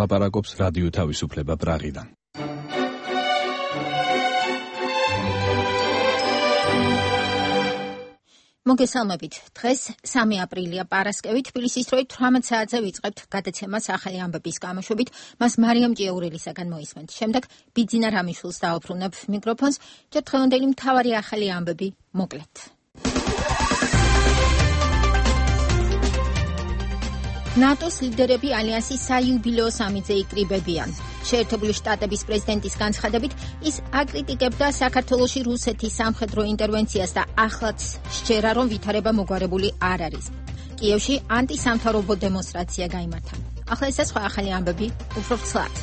ლაპარაკობს რადიო თავისუფლება პრაღიდან. მოგესალმებით. დღეს 3 აპრილია პარასკევი, თბილისის დროით 18 საათზე ვიწყებთ გადაცემას ახალი ამბების გამოშვებით. მას მარიამ ჭიაურელისაგან მოისმენთ. შემდეგ ბიძინა რამიშვილს დაუბრუნებ მიკროფონს. ჯერ დღევანდელი მთავარი ახალი ამბები მოკლედ. ნატოს ლიდერები ალიანსის საიუბილეო სამიტზე იკრიბებიან. შეერთებული შტატების პრეზიდენტის განცხადებით, ის აკრიტიკებდა საქართველოში რუსეთის სამხედრო ინტერვენციას და ახლაც სჯერა, რომ ვითარება მოგვარებული არ არის. კიევში ანტისამთავრობო დემონსტრაცია გაიმართა. ახლა ეს სხვა ახალი ამბები უფრო ცლად.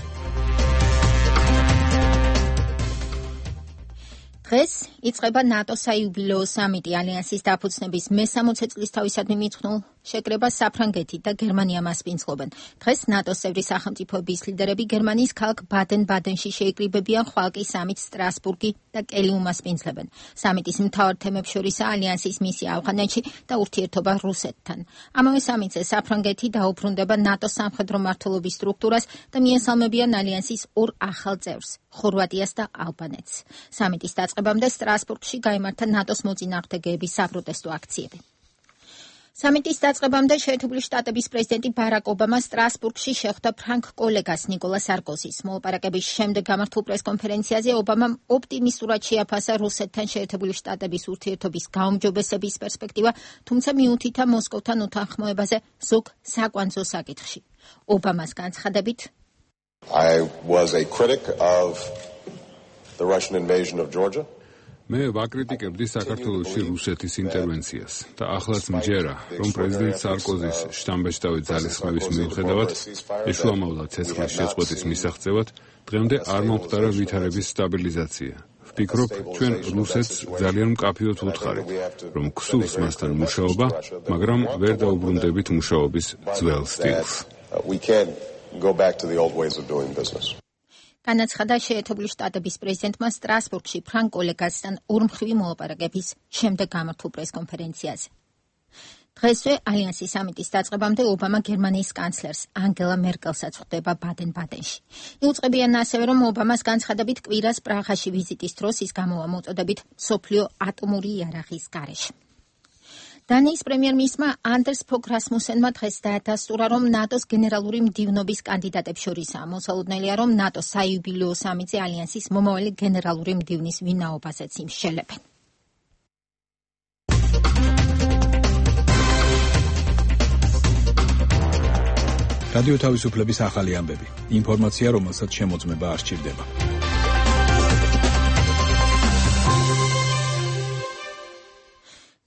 დღეს იწყება ნატოს საიუბილეო სამიტი. ალიანსის დაფუძნების მე-60 წლისთავისადმი მიძღვნილ შეკრებას საფრანგეთი და გერმანია მასპინძლობენ. დღეს ნატოს წევრი სახელმწიფოების ლიდერები გერმანიის ქალაქ ბადენ-ბადენში შეიკრიბებიან, ხვალ კი სამიტს სტრასბურგი და კელი უმასპინძლებენ. სამიტის მთავარ თემებს შორისაა ალიანსის მისია ავღანეთში და ურთიერთობა რუსეთთან. ამავე სამიტზე საფრანგეთი დაუბრუნდება ნატოს სამხედრო მმართველობის სტრუქტურას და მიესალმებიან ალიანსის ორ ახალ წევრს, ხორვატიას და ალბანეთს. სამიტის დაწყებამდე სტრასბურგში გაიმართა ნატოს მოწინააღმდეგეების საპროტესტო აქციები. სამიტის დაწყებამდე შეერთებული შტატების პრეზიდენტი ბარაკ ობამა სტრასბურგში შეხვდა ფრანგ კოლეგას ნიკოლა სარკოზის. მოლაპარაკების შემდეგ გამართულ პრესკონფერენციაზე ობამამ ოპტიმისტურად შეაფასა რუსეთთან შეერთებული შტატების ურთიერთობის გაუმჯობესების პერსპექტივა, თუმცა მიუთითა მოსკოვთან უთანხმოებაზე ზოგ საკვანძო საკითხში. ობამას განცხადებით, I was a critic of the Russian invasion of Georgia. მე ვაკრიტიკებდი საქართველოში რუსეთის ინტერვენციას და ახლაც მჯერა, რომ პრეზიდენტ სარკოზის შთამბეჭდავი ძალისხმევის მიუხედავად ეშუამავლა ცეცხლის შეწყვეტის მისაღწევად დღემდე არ მომხდარა ვითარების სტაბილიზაცია. ვფიქრობ, ჩვენ რუსეთს ძალიან მკაფიოდ ვუთხარით, რომ გსურს მასთან მუშაობა, მაგრამ ვერ დაუბრუნდებით მუშაობის ძველ სტილს. We can't go back to the old ways of doing business. განაცხადა შეერთებული შტატების პრეზიდენტმა სტრასბურგში ფრანგ კოლეგასთან ორმხრივი მოლაპარაკების შემდეგ გამართულ პრესკონფერენციაზე. დღესვე ალიანსის სამიტის დაწყებამდე ობამა გერმანიის კანცლერს ანგელა მერკელსაც ხვდება ბადენ-ბადენში. იუწყებიან ასევე, რომ ობამას განცხადებით კვირას პრაღაში ვიზიტის დროს ის გამოვა მოწოდებით მსოფლიო ატომური იარაღის გარეშე. დანიის პრემიერ-მინისტრმა ანდერს ფოგ რასმუსენმა დღეს დაადასტურა, რომ ნატოს გენერალური მდივნობის კანდიდატებს შორისაა. მოსალოდნელია, რომ ნატოს საიუბილეო სამიტზე ალიანსის მომავალი გენერალური მდივნის ვინაობაზეც იმსჯელებენ. რადიო თავისუფლების ახალი ამბები. ინფორმაცია, რომელსაც შემოწმება არ სჭირდება.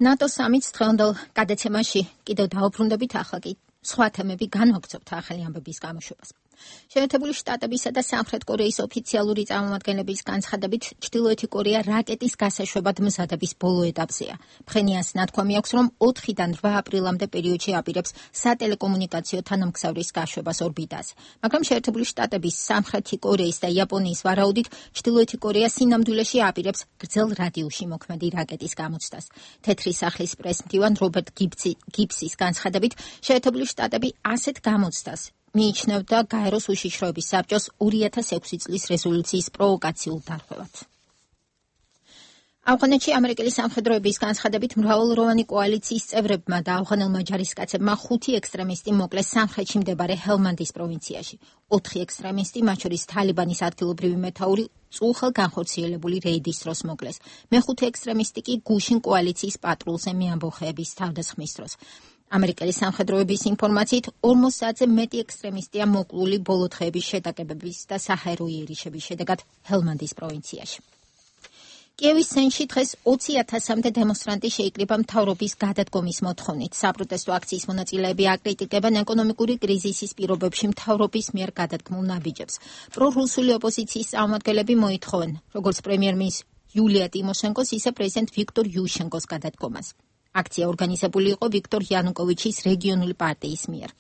ნატოს სამიტს დღევანდელ გადაცემაში კიდევ დაუბრუნდებით, ახლა კი სხვა თემები განვაგრძობთ ახალი ამბების გამოშვებას. შეერთებული შტატებისა და სამხრეთ კორეის ოფიციალური წარმომადგენლების განცხადებით, ჩრდილოეთი კორეა რაკეტის გასაშვებად მზადების ბოლო ეტაპზეა. ფხენიანს ნათქვამი აქვს, რომ 4-დან 8 აპრილამდე პერიოდში აპირებს სატელეკომუნიკაციო თანამგზავრის გაშვებას ორბიტაზე. მაგრამ შეერთებული შტატების, სამხრეთი კორეის და იაპონიის ვარაუდით, ჩრდილოეთი კორეა სინამდვილეში აპირებს გრძელ რადიუსში მოქმედი რაკეტის გამოცდას. თეთრი სახლის პრესმდივან რობერტ გიბსის განცხადებით, შეერთებული შტატები ასეთ გამოცდას მიიჩნევდა გაეროს უშიშროების საბჭოს 2006 წლის რეზოლუციის პროვოკაციულ დარღვევად. ავღანეთში ამერიკელი სამხედროების განცხადებით მრავალროვანი კოალიციის წევრებმა და ავღანელმა ჯარისკაცებმა 5 ექსტრემისტი მოკლეს სამხრეთში მდებარე ჰელმანდის პროვინციაში. 4 ექსტრემისტი, მათ შორის თალიბანის ადგილობრივი მეთაური, წულხელ განხორციელებული რეიდის დროს მოკლეს. მეხუთე ექსტრემისტი კი გუშინ კოალიციის პატრულზე მეამბოხეების თავდასხმის დროს. ამერიკელი სამხედროების ინფორმაციით 40-ზე მეტი ექსტრემისტია მოკლული ბოლო დღეების შეტაკებების და საჰაერო იერიშების შედეგად ჰელმანდის პროვინციაში. კიევის ცენტრში დღეს 20,000-მდე დემონსტრანტი შეიკრიბა მთავრობის გადადგომის მოთხოვნით. საპროტესტო აქციის მონაწილეები აკრიტიკებენ ეკონომიკური კრიზისის პირობებში მთავრობის მიერ გადადგმულ ნაბიჯებს. პრორუსული ოპოზიციის წარმომადგენლები მოითხოვენ, როგორც პრემიერ-მინისტრ იულია ტიმოშენკოს, ისე პრეზიდენტ ვიქტორ იუშენკოს გადადგომას. აქცია ორგანიზებული იყო ვიქტორ იანუკოვიჩის რეგიონული პარტიის მიერ.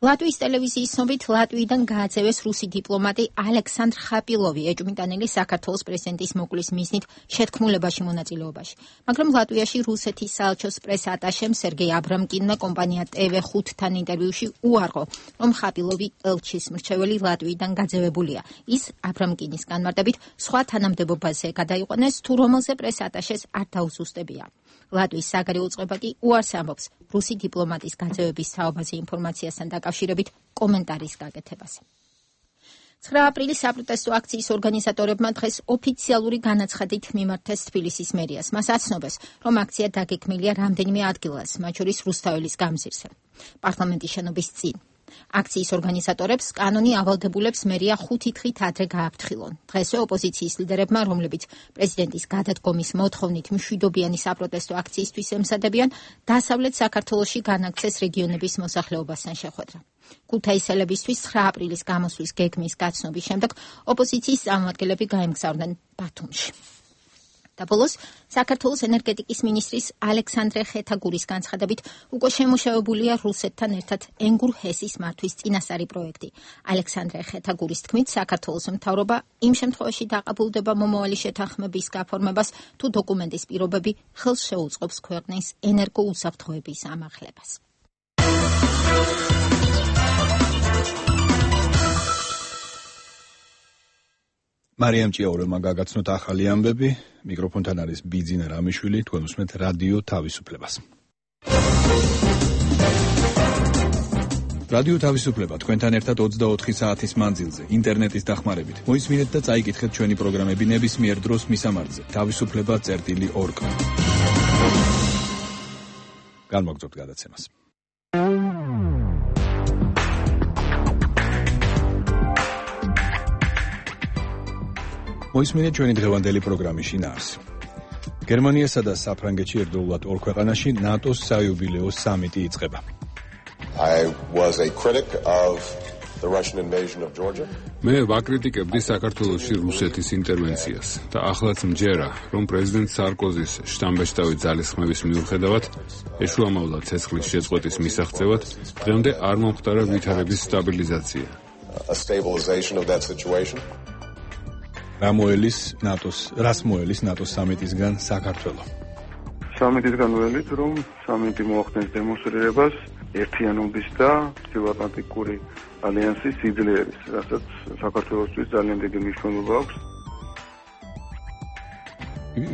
ლატვიის ტელევიზიის ცნობით ლატვიიდან გააძევეს რუსი დიპლომატი ალექსანდრ ხაპილოვი ეჭვმიტანილი საქართველოს პრეზიდენტის მოკვლის მიზნით შეთქმულებაში მონაწილეობაში. მაგრამ ლატვიაში რუსეთის საელჩოს პრეს-ატაშემ სერგეი აბრამკინმა კომპანია TV5-თან ინტერვიუში უარყო, რომ ხაპილოვი ელჩის მრჩეველი ლატვიიდან გაძევებულია. ის აბრამკინის განმარტებით სხვა თანამდებობაზე გადაიყვანეს, თუ რომელზე პრეს-ატაშეს არ დაუსუსტებია. ლატვიის საგარეო წყობა კი უარს ამბობს რუსი დიპლომატის გაძევების თაობაზე ინფორმაციასთან დაკავშირებით კომენტარის გაკეთებას. 9 აპრილის საპროტესტო აქციის ორგანიზატორებმა დღეს ოფიციალური განაცხადით მიმართეს თბილისის მერიას. მას აცნობეს, რომ აქცია დაგეგმილია რამდენიმე ადგილას, მათ შორის რუსთაველის გამზირზე, პარლამენტის შენობის წინ. აქციის ორგანიზატორებს კანონი ავალდებულებს მერია 5 დღით ადრე გააფრთხილონ. დღესვე ოპოზიციის ლიდერებმა, რომლებიც პრეზიდენტის გადადგომის მოთხოვნით მშვიდობიანი საპროტესტო აქციისთვის ემზადებიან, დასავლეთ საქართველოში განაგცეს რეგიონების მოსახლეობასთან შეხვედრა. ქუთაისელებისთვის 9 აპრილის გამოსვლის გეგმის გაცნობის შემდეგ ოპოზიციის წარმომადგენლები გაემგზავრნენ ბათუმში. და ბოლოს საქართველოს ენერგეტიკის მინისტრის ალექსანდრე ხეთაგურის განცხადებით უკვე შემუშავებულია რუსეთთან ერთად ენგურ-ჰესის მართვის წინასწარი პროექტი. ალექსანდრე ხეთაგურის თქმით, საქართველოს მთავრობა იმ შემთხვევაში დაყაბულდება მომავალი შეთანხმების გაფორმებას, თუ დოკუმენტის პირობები ხელს შეუწყობს ქვეყნის ენერგოუსაფრთხოების ამაღლებას. მარიამ ჭიაურელმა გაგაცნოთ ახალი ამბები, მიკროფონთან არის ბიძინა რამიშვილი, თქვენ უსმენთ რადიო თავისუფლებას. რადიო თავისუფლება თქვენთან ერთად 24 საათის მანძილზე, ინტერნეტის დახმარებით. მოისმინეთ და წაიკითხეთ ჩვენი პროგრამები ნებისმიერ დროს მისამართზე, თავისუფლება.org. განმოგწევთ გადაცემას. მოისმინეთ ჩვენი დღევანდელი პროგრამის შინაარსი. გერმანიასა და საფრანგეთში ერთდროულად ორ ქვეყანაში ნატოს საიუბილეო სამიტი იწყება. მე ვაკრიტიკებდი საქართველოში რუსეთის ინტერვენციას და ახლაც მჯერა, რომ პრეზიდენტ სარკოზის შთამბეჭდავი ძალისხმევის მიუხედავად ეშუამავლა ცეცხლის შეწყვეტის მისაღწევად დღემდე არ მომხდარა ვითარების სტაბილიზაცია. რას მოელის ნატოს სამიტისგან საქართველო? სამიტისგან ველით, რომ სამიტი მოახდენს დემონსტრირებას ერთიანობის და ჩრდილოატლანტიკური ალიანსის სიძლიერის, რასაც საქართველოსთვის ძალიან დიდი მნიშვნელობა აქვს.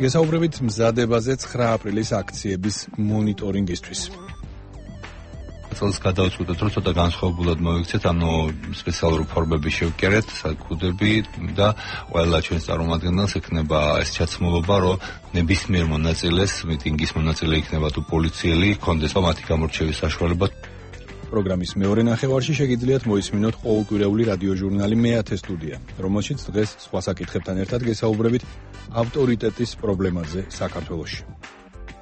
გესაუბრებით მზადებაზე 9 აპრილის აქციების მონიტორინგისთვის. წელს გადავწყვიტეთ, რომ ცოტა განსხვავებულად მოვიქცეთ, სპეციალური ფორმები შევკერეთ, საკუდები და ყველა ჩვენს წარმომადგენელს ექნება ეს ჩაცმულობა, რომ ნებისმიერ მონაწილეს, მიტინგის მონაწილე იქნება თუ პოლიციელი, ჰქონდეს მათი გამორჩევის საშუალება. პროგრამის მეორე ნახევარში შეგიძლიათ მოისმინოთ ყოველკვირეული რადიოჟურნალი მეათე სტუდია, რომელშიც დღეს სხვა საკითხებთან ერთად გესაუბრებით ავტორიტეტის პრობლემაზე საქართველოში.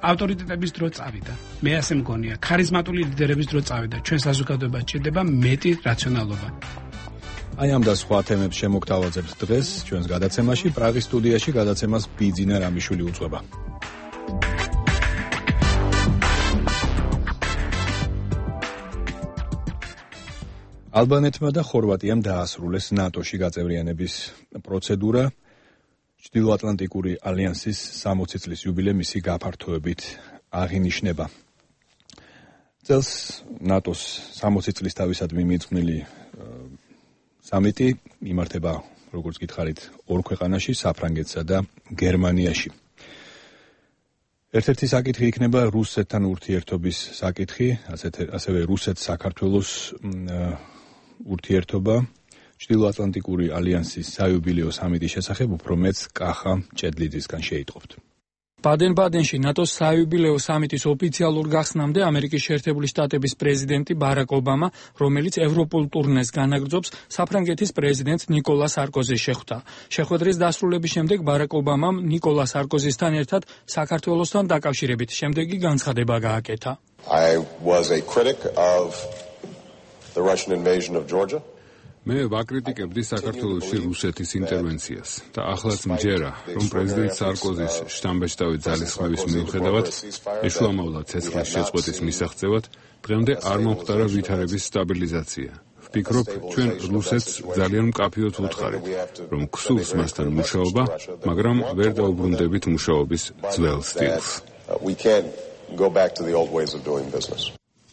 ავტორიტეტების დრო წავიდა. მე ასე მგონია, ქარიზმატული ლიდერების დრო წავიდა. ჩვენ საზოგადოებას ჭირდება მეტი რაციონალობა. აი ამ და სხვა თემებს შემოგთავაზებთ დღეს ჩვენს გადაცემაში. პრაღის სტუდიაში გადაცემას ბიძინა რამიშვილი უძღვება. ალბანეთმა და ხორვატიამ დაასრულეს ნატოში გაწევრიანების პროცედურა. ჩრდილოატლანტიკური ალიანსის 60 წლის იუბილე მისი გაფართოებით აღინიშნება. წელს ნატოს 60 წლის თავისადმი მიძღვნილი სამიტი იმართება, როგორც გითხარით, ორ ქვეყანაში, საფრანგეთსა და გერმანიაში. ერთ-ერთი საკითხი იქნება რუსეთთან ურთიერთობის საკითხი, ასევე რუსეთ-საქართველოს ურთიერთობა. ჩრდილოატლანტიკური ალიანსის საიუბილეო სამიტის შესახებ უფრო მეც კახა ჭედლიძისგან შეიტყობთ. ბადენ-ბადენში ნატოს საიუბილეო სამიტის ოფიციალურ გახსნამდე ამერიკის შეერთებული შტატების პრეზიდენტი ბარაკ ობამა, რომელიც ევროპულ ტურნეს განაგრძობს, საფრანგეთის პრეზიდენტ ნიკოლა სარკოზის შეხვდა. შეხვედრის დასრულების შემდეგ ბარაკ ობამამ ნიკოლა სარკოზისთან ერთად საქართველოსთან დაკავშირებით შემდეგი განცხადება გააკეთა. I was a critic of the Russian invasion of Georgia. მე ვაკრიტიკებდი საქართველოში რუსეთის ინტერვენციას და ახლაც მჯერა, რომ პრეზიდენტ სარკოზის შთამბეჭდავი ძალისხმევის მიუხედავად ეშუამოვლა ცეცხლის შეწყვეტის მისაღწევად, დღემდე არ მომხდარა ვითარების სტაბილიზაცია. ვფიქრობ, ჩვენ რუსეთს ძალიან მკაფიოდ ვუთხარით, რომ გსურს მასთან მუშაობა, მაგრამ ვერ დაუბრუნდებით მუშაობის ძველ სტილს.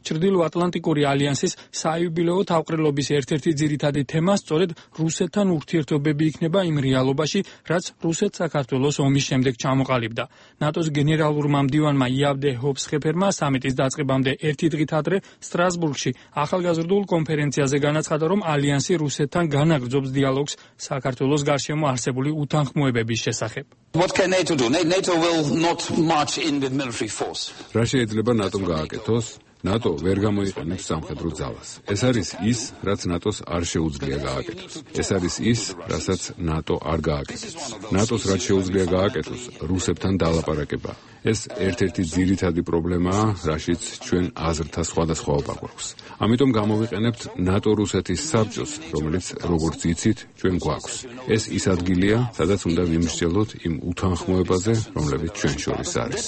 ჩრდილო-ატლანტიკური ალიანსის საიუბილეო თავყრილობის ერთ-ერთი ძირითადი თემა სწორედ რუსეთთან ურთიერთობები იქნება იმ რეალობაში, რაც რუსეთ-საქართველოს ომის შემდეგ ჩამოყალიბდა. ნატოს გენერალურმა მდივანმა იავდე ჰობსხეფერმა სამიტის დაწყებამდე ერთი დღით ადრე სტრასბურგში ახალგაზრდულ კონფერენციაზე განაცხადა, რომ ალიანსი რუსეთთან განაგრძობს დიალოგს საქართველოს გარშემო არსებული უთანხმოებების შესახებ. What can NATO do? NATO will not march in with military force. რა შეიძლება ნატომ გააკეთოს? ნატო ვერ გამოიყენებს სამხედრო ძალას. ეს არის ის, რაც ნატოს არ შეუძლია გააკეთოს. ეს არის ის, რასაც ნატო არ გააკეთებს. ნატოს რაც შეუძლია გააკეთოს, რუსებთან დალაპარაკება. ეს ერთ-ერთი ძირითადი პრობლემაა, რაშიც ჩვენ აზრთა სხვადასხვაობა გვაქვს. ამიტომ გამოვიყენებთ ნატო-რუსეთის საბჭოს, რომელიც, როგორც იცით, ჩვენ გვაქვს. ეს ის ადგილია, სადაც უნდა ვიმსჯელოთ იმ უთანხმოებაზე, რომლებიც ჩვენ შორის არის.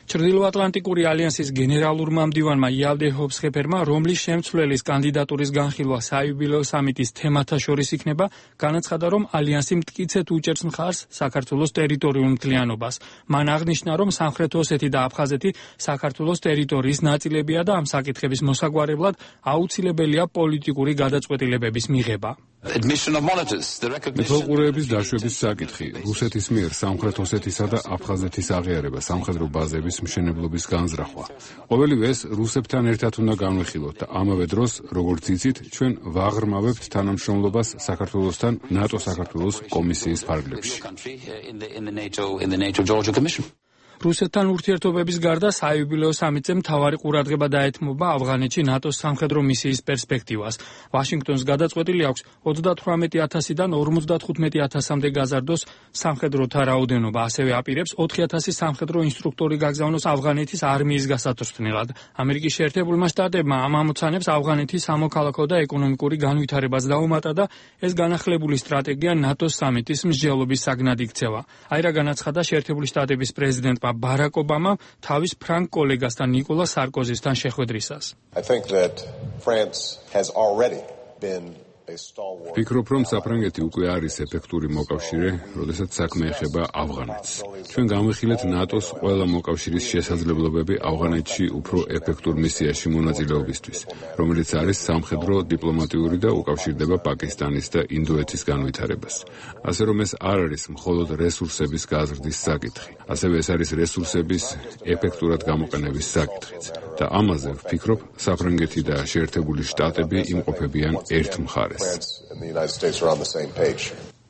ჩრდილო-ატლანტიკური ალიანსის გენერალურმა მდივანმა იავდე ჰობსხეფერმა, რომლის შემცვლელის კანდიდატურის განხილვა საიუბილეო სამიტის თემათა შორის იქნება, განაცხადა, რომ ალიანსი მტკიცედ უჭერს მხარს საქართველოს ტერიტორიულ მთლიანობას. მან აღნიშნა, რომ სამხრეთ ოსეთი და აფხაზეთი საქართველოს ტერიტორიის ნაწილებია და ამ საკითხების მოსაგვარებლად აუცილებელია პოლიტიკური გადაწყვეტილებების მიღება. მეთვალყურეების დაშვების საკითხი, რუსეთის მიერ სამხრეთ ოსეთისა და აფხაზეთის აღიარება, სამხედრო ბაზების მშენებლობის განზრახვა. ყოველივე ეს რუსებთან ერთად უნდა განვიხილოთ და ამავე დროს, როგორც იცით, ჩვენ ვაღრმავებთ თანამშრომლობას საქართველოსთან ნატო-საქართველოს კომისიის ფარგლებში. რუსეთთან ურთიერთობების გარდა საიუბილეო სამიტზე მთავარი ყურადღება დაეთმობა ავღანეთში ნატოს სამხედრო მისიის პერსპექტივას. ვაშინგტონს გადაწყვეტილი აქვს 38,000-დან 55,000-მდე გაზარდოს სამხედროთა რაოდენობა, ასევე აპირებს 4,000 სამხედრო ინსტრუქტორი გაგზავნოს ავღანეთის არმიის გასატრთნელად. ამერიკის შეერთებულმა შტატებმა ამ ამოცანებს ავღანეთის სამოქალაქო და ეკონომიკური განვითარებას დაუმატა და ეს განახლებული სტრატეგია ნატოს სამიტის მსჯელობის საგნად იქცევა. აირა განაცხადა შეერთებული შტატების პრეზიდენტმა ბარაკ ობამამ თავის ფრანგ კოლეგასთან ნიკოლა სარკოზისთან შეხვედრისას. ვფიქრობ, რომ საფრანგეთი უკვე არის ეფექტური მოკავშირე, როდესაც საქმე ეხება ავღანეთს. ჩვენ განვიხილეთ ნატოს ყველა მოკავშირის შესაძლებლობები ავღანეთში უფრო ეფექტურ მისიაში მონაწილეობისთვის, რომელიც არის სამხედრო, დიპლომატიური და უკავშირდება პაკისტანის და ინდოეთის განვითარებას. ასე რომ ეს არ არის მხოლოდ რესურსების გაზრდის საკითხი, ასევე ეს არის რესურსების ეფექტურად გამოყენების საკითხიც. და ამაზე ვფიქრობ, საფრანგეთი და შეერთებული შტატები იმყოფებიან ერთ მხარეს.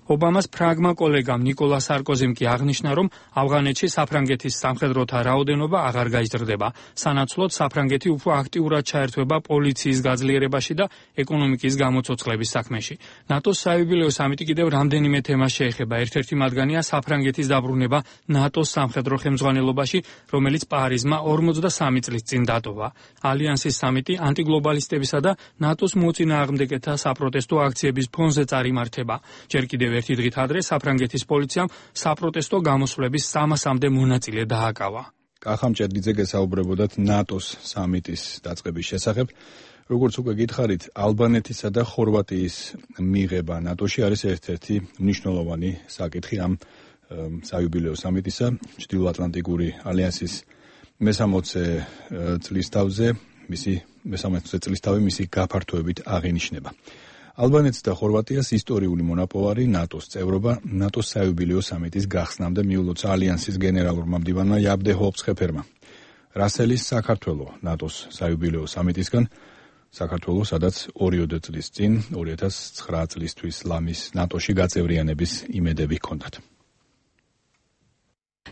ობამას ფრანგმა კოლეგამ ნიკოლა სარკოზიმ კი აღნიშნა, რომ ავღანეთში საფრანგეთის სამხედროთა რაოდენობა აღარ გაიზრდება. სანაცვლოდ საფრანგეთი უფრო აქტიურად ჩაერთვება პოლიციის გაძლიერებაში და ეკონომიკის გამოცოცხლების საქმეში. ნატოს საიუბილეო სამიტი კიდევ რამდენიმე თემას შეეხება. ერთ-ერთი მათგანია საფრანგეთის დაბრუნება ნატოს სამხედრო ხელმძღვანელობაში, რომელიც პარიზმა 43 წლის წინ დატოვა. ალიანსის სამიტი ანტიგლობალისტებისა და ნატოს მოწინააღმდეგეთა საპროტესტო აქციების ფონზე წარიმართება. ჯერ კიდევ ერთი დღით ადრე საფრანგეთის პოლიციამ საპროტესტო გამოსვლების 300-მდე მონაწილე დააკავა. კახა მჭედლიძე გესაუბრებოდათ ნატოს სამიტის დაწყების შესახებ. როგორც უკვე გითხარით, ალბანეთისა და ხორვატიის მიღება ნატოში არის ერთ-ერთი მნიშვნელოვანი საკითხი ამ საიუბილეო სამიტისა. ჩრდილო-ატლანტიკური ალიანსის მე-60 წლისთავი მისი გაფართოებით აღინიშნება. ალბანეთს და ხორვატიას ისტორიული მონაპოვარი ნატოს წევრობა ნატოს საიუბილეო სამიტის გახსნამდე მიულოცა ალიანსის გენერალურმა მდივანმა იავდე ჰობსხეფერმა. რასელის საქართველო ნატოს საიუბილეო სამიტისგან, საქართველო სადაც 2 წლის წინ 2009 წლისთვის ლამის ნატოში გაწევრიანების იმედები ჰქონდათ.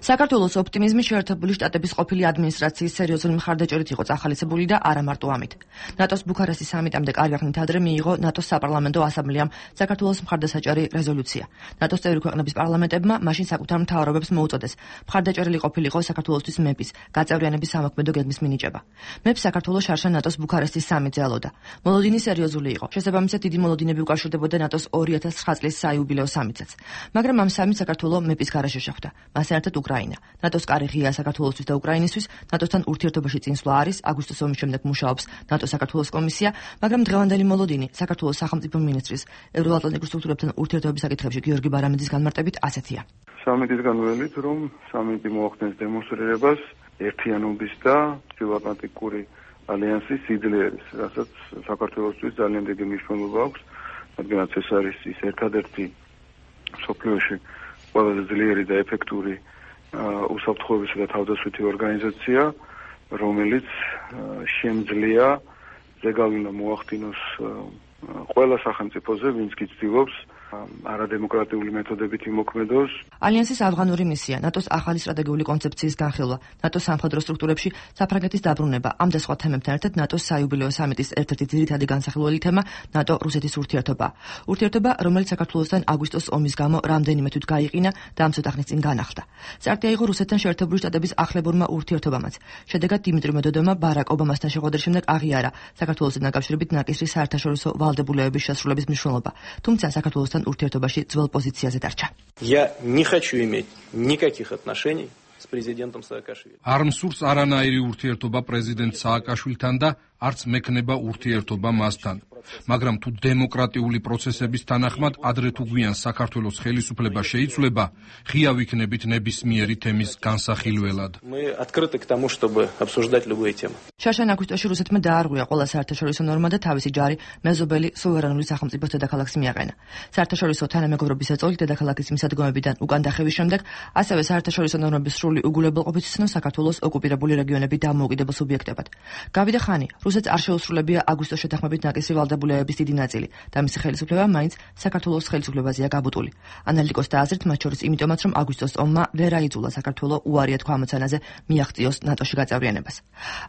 საქართველოს ოპტიმიზმი შეერთებული შტატების ყოფილი ადმინისტრაციის სერიოზული მხარდაჭერით იყო წახალისებული და არა მარტო ამით. ნატოს ბუქარესტის სამიტამდე კარგი ხნით ადრე მიიღო ნატოს საპარლამენტო ასამბლეამ საქართველოს მხარდასაჭერი რეზოლუცია. ნატოს წევრი ქვეყნების პარლამენტებმა მაშინ საკუთარ მთავრობებს მოუწოდეს მხარდაჭერილი ყოფილიყო საქართველოსთვის მეპის გაწევრიანების სამოქმედო გეგმის მინიჭება. მეპს საქართველოს შარშან ნატოს ბუქარესტის სამიტზე ელოდა. მოლოდინი სერიოზული იყო. შესაბამისად დიდი მოლოდინები უკავშირდებოდა ნატოს 2009 წლის საიუბილეო სამიტსაც. მაგრამ ამ სამიტს საქართველოს მეპის გარეშე შეხვდა. მას ერთად უკრაინა. ნატოს კარი ღია საქართველოსთვის და უკრაინისთვის, ნატოსთან ურთიერთობაში წინსვლა არის, აგვისტოს ომის შემდეგ მუშაობს ნატო-საქართველოს კომისია, მაგრამ დღევანდელი მოლოდინი საქართველოს სახელმწიფო მინისტრის ევროატლანტიკურ სტრუქტურებთან ურთიერთობის საკითხებში გიორგი ბარამიძის განმარტებით ასეთია. სამიტისგან ველით, რომ სამიტი მოახდენს დემონსტრირებას ერთიანობის და ჩრდილოატლანტიკური ალიანსის სიძლიერის, რასაც საქართველოსთვის ძალიან დიდი მნიშვნელობა აქვს, რადგანაც ეს არის ის ერთადერთი მსოფლიოში ყველაზე ძლიერი და ეფექტური უსაფრთხოებისა და თავდაცვითი ორგანიზაცია, რომელიც შემძლია ზეგავლენა მოახდინოს ყველა სახელმწიფოზე, ვინც კი ცდილობს არადემოკრატიული მეთოდებით იმოქმედოს. ალიანსის ავღანური მისია, ნატოს ახალი სტრატეგიული კონცეფციის განხილვა, ნატოს სამხედრო სტრუქტურებში საფრანგეთის დაბრუნება, ამ და სხვა თემებთან ერთად ნატოს საიუბილეო სამიტის ერთ-ერთი ძირითადი განსახილველი თემა ნატო-რუსეთის ურთიერთობა. ურთიერთობა, რომელიც საქართველოსთან აგვისტოს ომის გამო რამდენიმე თვით გაიყინა და ამ ცოტა ხნის წინ განახლდა. წარდგა იყო რუსეთთან შეერთებული შტატების ახლებურმა ურთიერთობამაც. შედეგად დიმიტრი მედვედევმა ბარაკ ობამასთან შეხვედრის შემდეგ აღიარა საქართველოსთან დაკავშირებით ნაკისრის საერთაშორისო ვალდებულებების შესრულების მნიშვნელობა. თუმცა საქართველოს ურთიერთობაში ძველ პოზიციაზე დარჩა. Я не хочу иметь никаких отношений с президентом Саакашвили. არ მსურს არანაირი ურთიერთობა პრეზიდენტ სააკაშვილთან და არც მექნება ურთიერთობა მასთან. მაგრამ თუ დემოკრატიული პროცესების თანახმად ადრე თუ გვიან საქართველოს ხელისუფლება შეიცვლება, ღია ვიქნებით ნებისმიერი თემის განსახილველად. Мы открыты к тому, чтобы обсуждать любые темы. შარშან აგვისტოში რუსეთმა დაარღვია ყველა საერთაშორისო ნორმა და თავისი ჯარი მეზობელი სუვერენული სახელმწიფოს დედაქალაქს მიაყენა. საერთაშორისო თანამეგობრობის ეწოლით დედაქალაქის მისადგომებიდან უკან დახევის შემდეგ, ასევე საერთაშორისო ნორმების სრული უგულებელყოფით ცნო საქართველოს ოკუპირებული რეგიონები დამოუკიდებელ სუბიექტებად. გავიდა ხანი, რუსეთს არ შეუსრულებია აგვისტოს შეთანხმებით ნაკისრი ვალდებულებების დიდი ნაწილი და მისი ხელისუფლება მაინც საქართველოს ხელისუფლებაზეა გაბუტული. ანალიტიკოსთა აზრით, მათ შორის იმიტომაც, რომ აგვისტოს ომმა ვერ აიძულა საქართველოს უარია თქვა ამოცანაზე მიაღწიოს ნატოში გაწევრიანებას.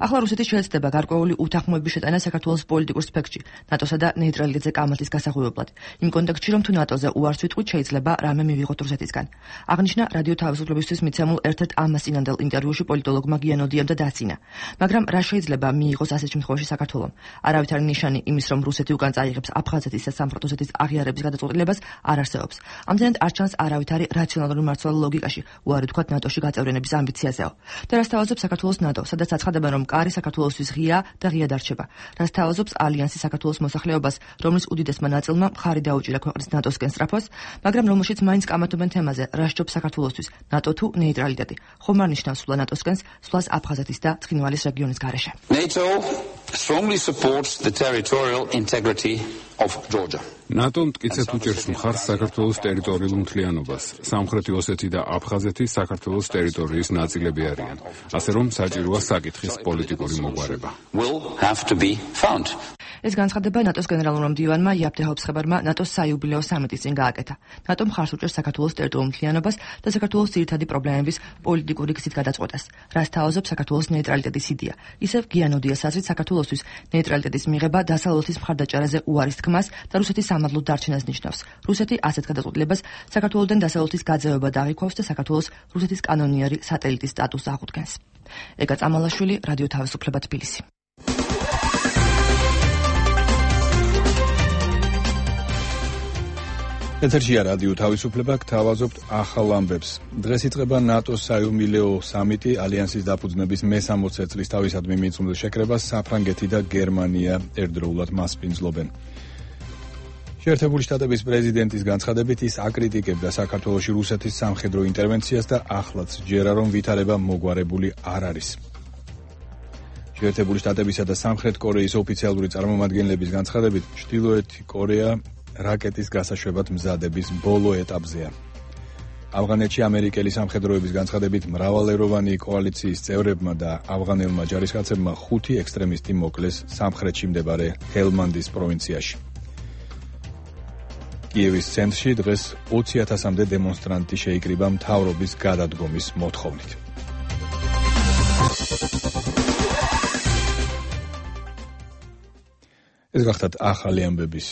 ახლა რუსეთის შეეცდება გარკვეული უთანხმოების შეტანა საქართველოს პოლიტიკურ სპექტრში, ნატოსა და ნეიტრალიტეტზე კამათის გასაღვივებლად. იმ კონტექსტში, რომ თუ ნატოზე უარს ვიტყვით, შეიძლება რამე მივიღოთ რუსეთისგან. აღნიშნა რადიო თავისუფლებისთვის მიცემულ ერთ-ერთ ამასინანდელ ინტერვიუში პოლიტოლოგმა გიანოდიამ და დაცინა. მაგრამ რა შეიძლება მიიღოს ასეთ შემთხვევაში საქართველომ? არავითარი ნიშანი იმის, რომ რუსეთი უკან წაიღებს აფხაზეთის და სამხრეთ-ოსეთის აღიარების გადაწყვეტილებას არ არსებობს. ამდენად არ ჩანს არავითარი რაციონალური მმართველი ლოგიკაში უარი თქვათ ნატოში გაწევრიანების ამბიციაზეო. და რას თავაზობს საქართველოს ნატო, სადაც აცხადებენ, რომ კარი საქართველოსთვის ღია და ღია დარჩება. რას თავაზობს ალიანსის საქართველოს მოსახლეობას, რომლის უდიდესმა ნაწილმა მხარი დაუჭირა ქვეყნის ნატოსკენ სწრაფოს, მაგრამ რომელშიც მაინც კამათობენ თემაზე, რა სჯობს საქართველოსთვის, ნატო თუ ნეიტრალიტეტი. ხომ არ ნიშნავს სვლა ნატოსკენს, სვლას აფხაზეთის და ცხინვალის რეგიონის გარეშე. NATO strongly supports the territorial integrity of Georgia. NATO მტკიცედ უჭერს მხარს საქართველოს ტერიტორიულ მთლიანობას. სამხრეთი ოსეთი და აფხაზეთი საქართველოს ტერიტორიის ნაწილები არიან. ასე რომ საჭიროა საკითხის პოლიტიკური მოგვარება. Will have to be found. ეს განცხადება ნატოს გენერალურმა მდივანმა იაპ ჰაუბსხებარმა ნატოს საიუბილეო სამიტის წინ გააკეთა. ნატო მხარს უჭერს საქართველოს ტერიტორიულ მთლიანობას და საქართველოს ძირითადი პრობლემების პოლიტიკური გზით გადაწყვეტას. რას თავაზობს საქართველოს ნეიტრალიტეტის იდეა? ისევ გიანოდიას აზრით საქართველოსთვის ნეიტრალიტეტის მიღება დასავლეთის მხარდაჭერაზე უარის თქმას და რუსეთის სამადლოდ დარჩენას ნიშნავს. რუსეთი ასეთ გადაწყვეტილებას საქართველოსთან დასავლეთის გაძევება დაიქვავს და საქართველოს რუსეთის კანონიერი სატელიტის სტატუსს აღუდგენს. ეგა წამალაშვილი, რადიო თავისუფლება თბილისი. ეთერშია რადიო თავისუფლება, გთავაზობთ ახალ ამბებს. დღეს იწყება ნატოს საიუბილეო სამიტი, ალიანსის დაფუძნების მე-60 წლის თავისადმი მიწმუნდელ შეკრებას საფრანგეთი და გერმანია ერთდროულად მასპინძლობენ. შეერთებული შტატების პრეზიდენტის განცხადებით ის აკრიტიკებდა საქართველოში რუსეთის სამხედრო ინტერვენციას და ახლაც ჯერა რომ ვითარება მოგვარებული არ არის. შეერთებული შტატებისა და სამხრეთ კორეის ოფიციალური წარმომადგენლების განცხადებით, ჩრდილოეთი კორეა რაკეტის გასაშვებად მზადების ბოლო ეტაპზეა. ავღანეთში ამერიკელი სამხედროების განცხადებით მრავალეროვანი კოალიციის წევრებმა და ავღანელმა ჯარისკაცებმა 5 ექსტრემისტი მოკლეს სამხრეთში მდებარე ჰელმანდის პროვინციაში. კიევის ცენტრში დღეს 20,000-მდე დემონსტრანტი შეიკრიბა მთავრობის გადადგომის მოთხოვნით. ეს გახდათ ახალი ამბების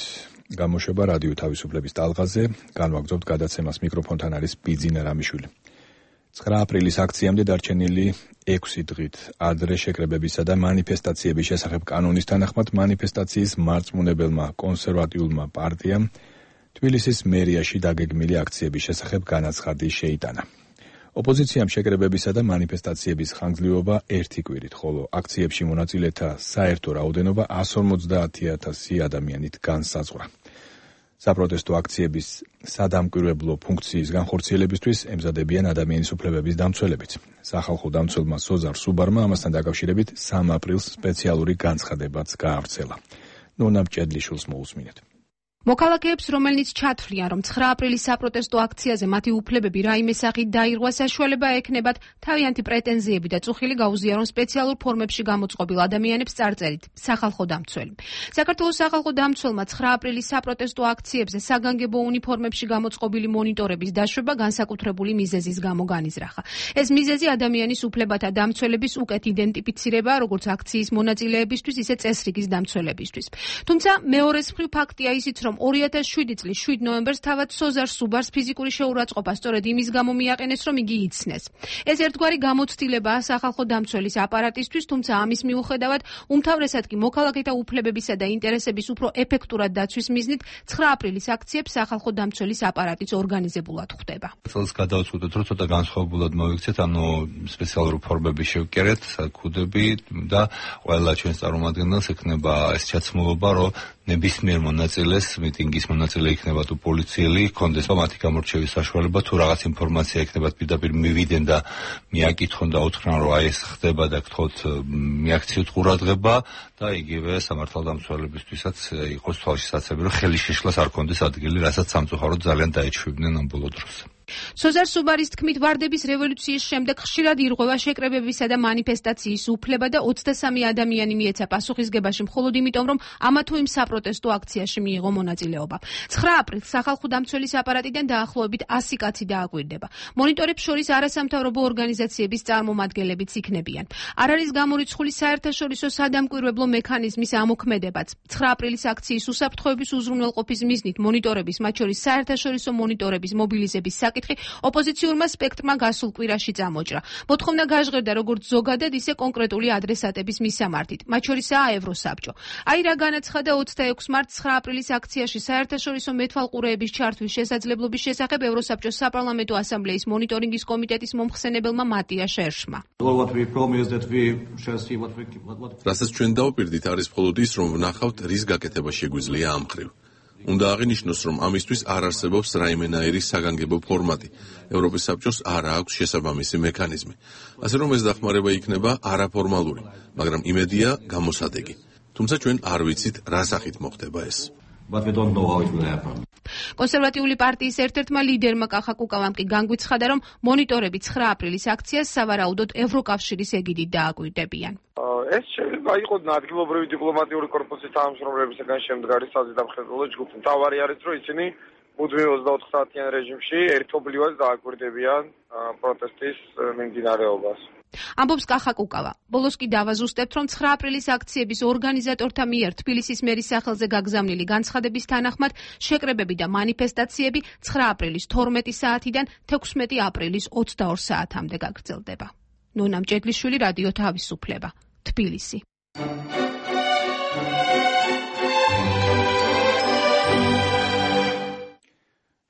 გამოშვება რადიო თავისუფლების ტალღაზე. განვაგრძობთ გადაცემას, მიკროფონთან არის ბიძინა რამიშვილი. 9 აპრილის აქციამდე დარჩენილი 6 დღით ადრე შეკრებებისა და მანიფესტაციების შესახებ კანონის თანახმად მანიფესტაციის მარწმუნებელმა კონსერვატიულმა პარტიამ თბილისის მერიაში დაგეგმილი აქციების შესახებ განაცხადი შეიტანა. ოპოზიციამ შეკრებებისა და მანიფესტაციების ხანგრძლივობა 1 კვირით, ხოლო აქციებში მონაწილეთა საერთო რაოდენობა 150,000 ადამიანით განსაზღვრა. საპროტესტო აქციების სადამკვირვებლო ფუნქციის განხორციელებისთვის ემზადებიან ადამიანის უფლებების დამცველებიც. სახალხო დამცველმა სოზარ სუბარმა ამასთან დაკავშირებით 3 აპრილს სპეციალური განცხადებაც გაავრცელა. ნონა მჭედლიშვილს მოусმინეთ. მოქალაქეებს, რომელნიც ჩათვლიან, რომ 9 აპრილის საპროტესტო აქციაზე მათი უფლებები რაიმე სახით დაირღვა, საშუალება ექნებათ თავიანთი პრეტენზიები და წუხილი გაუზიარონ სპეციალურ ფორმებში გამოწყობილ ადამიანებს წარწერით სახალხო დამცველი. საქართველოს სახალხო დამცველმა 9 აპრილის საპროტესტო აქციებზე საგანგებო უნიფორმებში გამოწყობილი მონიტორების დაშვება განსაკუთრებული მიზეზის გამო განიზრახა. ეს მიზეზი ადამიანის უფლებათა დამცველების უკეთ იდენტიფიცირება, როგორც აქციის მონაწილეებისთვის, ისე წესრიგის დამცველებისთვის. თუმცა მეორეს მხრივ ფაქტია ისიც, რომ 2007 წლის 7 ნოემბერს თავად სოზარ სუბარს ფიზიკური შეურაცხყოფა სწორედ იმის გამო მიაყენეს, რომ იგი იცნეს. ეს ერთგვარი გამოცდილებაა სახალხო დამცველის აპარატისთვის, თუმცა ამის მიუხედავად უმთავრესად კი მოქალაქეთა უფლებებისა და ინტერესების უფრო ეფექტურად დაცვის მიზნით 9 აპრილის აქციებს სახალხო დამცველის აპარატიც ორგანიზებულად ხვდება. წელს გადავწყვიტეთ, რომ ცოტა განსხვავებულად მოვიქცეთ, სპეციალური ფორმები შევკერეთ, ქუდები და ყველა ჩვენს წარმომადგენელს ექნება ეს ჩაცმულობა, რომ ნებისმიერ მონაწილეს, მიტინგის მონაწილე იქნება თუ პოლიციელი, ჰქონდეს მათი გამორჩევის საშუალება, თუ რაღაც ინფორმაცია ექნებათ პირდაპირ მივიდნენ და მიაკითხონ და უთხრან, რომ აი ეს ხდება და გთხოვთ მიაქციოთ ყურადღება და იგივე სამართალდამცველებისთვისაც იყოს თვალშისაცემი, რომ ხელის შეშლას არ ქონდეს ადგილი, რასაც სამწუხაროდ ძალიან დაეჩვევდნენ ამ ბოლო დროს. სოზარ სუბარის თქმით, ვარდების რევოლუციის შემდეგ ხშირად ირღვევა შეკრებებისა და მანიფესტაციის უფლება და 23 ადამიანი მიეცა პასუხისგებაში მხოლოდ იმიტომ, რომ ამა თუ იმ საპროტესტო აქციაში მიიღო მონაწილეობა. 9 აპრილს სახალხო დამცველის აპარატიდან დაახლოებით 100 კაცი დააკვირდება. მონიტორებს შორის არასამთავრობო ორგანიზაციების წარმომადგენლებიც იქნებიან. არ არის გამორიცხული საერთაშორისო სადამკვირვებლო მექანიზმის ამოქმედებაც. 9 აპრილის აქციის უსაფრთხოების უზრუნველყოფის მიზნით მონიტორების, მათ შორის საერთაშორისო მონიტორების მობილიზების საკითხი ოპოზიციურმა სპექტრმა გასულ კვირაში წამოჭრა. მოთხოვნა გაჟღერდა როგორც ზოგადად, ისე კონკრეტული ადრესატების მისამართით, მათ შორისაა ევროსაბჭო. აი რა განაცხადა 26 მარტს 9 აპრილის აქციაში საერთაშორისო მეთვალყურეების ჩართვის შესაძლებლობის შესახებ ევროსაბჭოს საპარლამენტო ასამბლეის მონიტორინგის კომიტეტის მომხსენებელმა მატია შერშმა. რასაც ჩვენ დავპირდით არის მხოლოდ ის, რომ ვნახავთ, რის გაკეთება შეგვიძლია ამ მხრივ. უნდა აღინიშნოს, რომ ამისთვის არ არსებობს რაიმენაირი საგანგებო ფორმატი. ევროპის საბჭოს არ აქვს შესაბამისი მექანიზმი. ასე რომ ეს დახმარება იქნება არაფორმალური, მაგრამ იმედია გამოსადეგი. თუმცა ჩვენ არ ვიცით, რა სახით მოხდება ეს. კონსერვატიული პარტიის ერთ-ერთმა ლიდერმა კახა კუკავამ კი განგვიცხადა, რომ მონიტორები 9 აპრილის აქციას სავარაუდოდ ევროკავშირის ეგიდით დააკვირდებიან. ეს შეიძლება იყოს ადგილობრივი დიპლომატიური კორპუსის თანამშრომლებისგან შემდგარი საზედამხედველო ჯგუფი. მთავარი არის, რომ ისინი მუდმივ 24 საათიან რეჟიმში ერთობლივად დააკვირდებიან პროტესტის მიმდინარეობას. ამბობს კახა კუკავა. ბოლოს კი დავაზუსტებთ, რომ 9 აპრილის აქციების ორგანიზატორთა მიერ თბილისის მერის სახელზე გაგზავნილი განცხადების თანახმად შეკრებები და მანიფესტაციები 9 აპრილის 12 საათიდან 16 აპრილის 22 საათამდე გაგრძელდება. ნონა მჭედლიშვილი, რადიო თავისუფლება, თბილისი.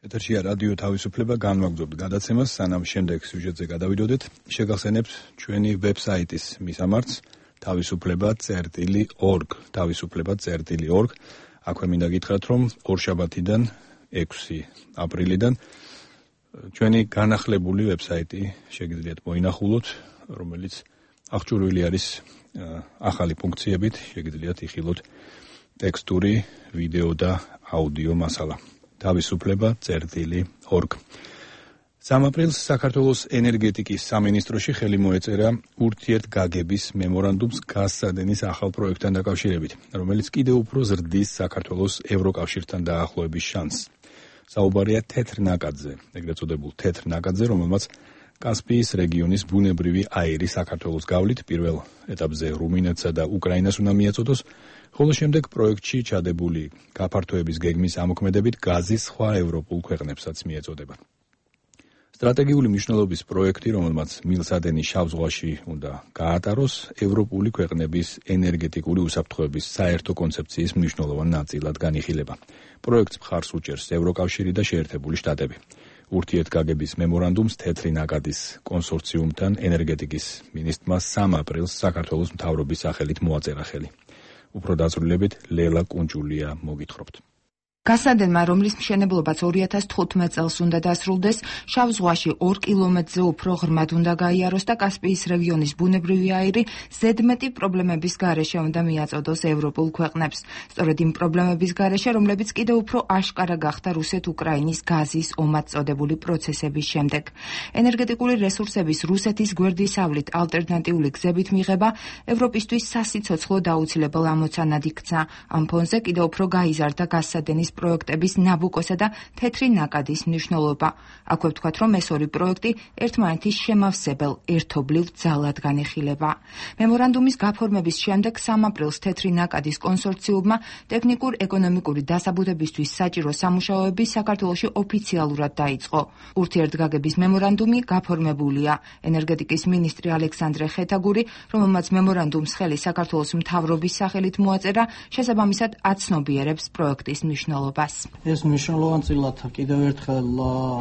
ეთერშია რადიო თავისუფლება, განვაგრძობთ გადაცემას, სანამ შემდეგ სიუჟეტზე გადავიდოდეთ, შეგახსენებთ ჩვენი ვებსაიტის მისამართს თავისუფლება.org, თავისუფლება.org. აქვე მინდა გითხრათ, რომ ორშაბათიდან 6 აპრილიდან ჩვენი განახლებული ვებსაიტი შეგიძლიათ მოინახულოთ, რომელიც აღჭურვილი არის ახალი ფუნქციებით, შეგიძლიათ იხილოთ ტექსტური, ვიდეო და აუდიო მასალა. თავისუფლება.org. 3 აპრილს საქართველოს ენერგეტიკის სამინისტროში ხელი მოეწერა ურთიერთგაგების მემორანდუმს გაზსადენის ახალ პროექტთან დაკავშირებით, რომელიც კიდევ უფრო ზრდის საქართველოს ევროკავშირთან დაახლოების შანსს. საუბარია თეთრ ნაკადზე, ეგრეთ წოდებულ თეთრ ნაკადზე, რომელმაც კასპიის რეგიონის ბუნებრივი აირი საქართველოს გავლით პირველ ეტაპზე რუმინეთსა და უკრაინას უნდა მიაწოდოს, ხოლო შემდეგ პროექტში ჩადებული გაფართოების გეგმის ამოქმედებით გაზი სხვა ევროპულ ქვეყნებსაც მიეწოდება. სტრატეგიული მნიშვნელობის პროექტი, რომელმაც მილსადენი შავ ზღვაში უნდა გაატაროს, ევროპული ქვეყნების ენერგეტიკული უსაფრთხოების საერთო კონცეფციის მნიშვნელოვან ნაწილად განიხილება. პროექტს მხარს უჭერს ევროკავშირი და შეერთებული შტატები. ურთიერთგაგების მემორანდუმს თეთრი ნაკადის კონსორციუმთან ენერგეტიკის მინისტრმა 3 აპრილს საქართველოს მთავრობის სახელით მოაწერა ხელი. უფრო დაწვრილებით ლელა კუნჭულია მოგითხრობთ. გასადენმა, რომლის მშენებლობაც 2015 წელს უნდა დასრულდეს, შავ ზღვაში 2 კილომეტრზე უფრო ღრმად უნდა გაიაროს და კასპიის რეგიონის ბუნებრივი აირი ზედმეტი პრობლემების გარეშე უნდა მიაწოდოს ევროპულ ქვეყნებს. სწორედ იმ პრობლემების გარეშე, რომლებიც კიდევ უფრო აშკარა გახდა რუსეთ-უკრაინის გაზის ომად წოდებული პროცესების შემდეგ. ენერგეტიკული რესურსების რუსეთის გვერდისავლით ალტერნატიული გზებით მიღება ევროპისთვის სასიცოცხლო დაუცილებელ ამოცანად იქცა. ამ ფონზე კიდევ უფრო გაიზარდა გასადენის პროექტების ნაბუკოსა და თეთრი ნაკადის მნიშვნელობა. აქვე ვთქვათ, რომ ეს ორი პროექტი ერთმანეთის შემავსებელ ერთობლივ ძალად განიხილება. მემორანდუმის გაფორმების შემდეგ 3 აპრილს თეთრი ნაკადის კონსორციუმმა ტექნიკურ-ეკონომიკური დასაბუთებისთვის საჭირო სამუშაოები საქართველოში ოფიციალურად დაიწყო. ურთიერთგაგების მემორანდუმი გაფორმებულია. ენერგეტიკის მინისტრი ალექსანდრე ხეთაგური, რომელმაც მემორანდუმს ხელი საქართველოს მთავრობის სახელით მოაწერა, შესაბამისად აცნობიერებს პროექტის მნიშვნელობას. ეს მნიშვნელოვანწილად კიდევ ერთხელ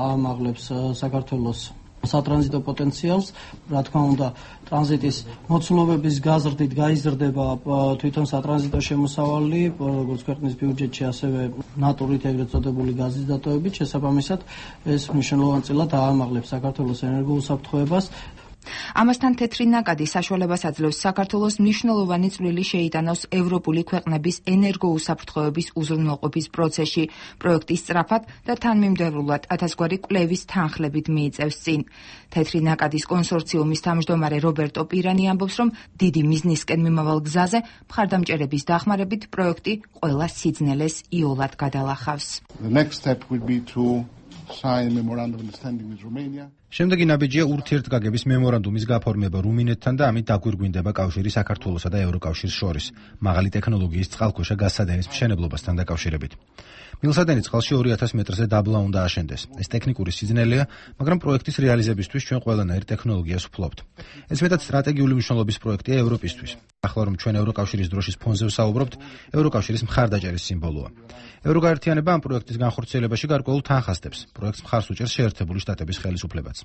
აამაღლებს საქართველოს სატრანზიტო პოტენციალს, რა თქმა უნდა, ტრანზიტის მოცულობების გაზრდით გაიზრდება თვითონ სატრანზიტო შემოსავალი, როგორც ქვეყნის ბიუჯეტში, ასევე ნატურით ეგრეთ წოდებული გაზის დატოვებით, შესაბამისად, ეს მნიშვნელოვანწილად აამაღლებს საქართველოს ენერგოუსაფრთხოებას. ამასთან თეთრი ნაკადი საშუალებას აძლევს საქართველოს მნიშვნელოვანი წვლილი შეიტანოს ევროპული ქვეყნების ენერგოუსაფრთხოების უზრუნველყოფის პროცესში. პროექტი სწრაფად და თანმიმდევრულად 1000 გვარი კვლევის თანხლებით მიიწევს წინ. თეთრი ნაკადის კონსორციუმის თავმჯდომარე რობერტო პირანი ამბობს, რომ დიდი მიზნისკენ მიმავალ გზაზე მხარდამჭერების დახმარებით პროექტი ყველა სიძნელეს იოლად გადალახავს. შემდეგი ნაბიჯია ურთიერთგაგების მემორანდუმის გაფორმება რუმინეთთან და ამით დაგვირგვინდება კავშირი საქართველოსა და ევროკავშირს შორის, მაღალი ტექნოლოგიის წყალქვეშა გაზსადენის მშენებლობასთან დაკავშირებით. მილსადენი წყალში 2000 მეტრზე დაბლა უნდა აშენდეს. ეს ტექნიკური სიძნელეა, მაგრამ პროექტის რეალიზებისთვის ჩვენ ყველანაირ ტექნოლოგიას ვფლობთ. ეს მეტად სტრატეგიული მნიშვნელობის პროექტია ევროპისთვის. ახლა რომ ჩვენ ევროკავშირის დროშის ფონზე ვსაუბრობთ, ევროკავშირის მხარდაჭერის სიმბოლოა. ევროგაერთიანება ამ პროექტის განხორციელებაში გარკვეულ თანხას დებს. პროექტს მხარს უჭერს შეერთებული შტატების ხელისუფლებაც.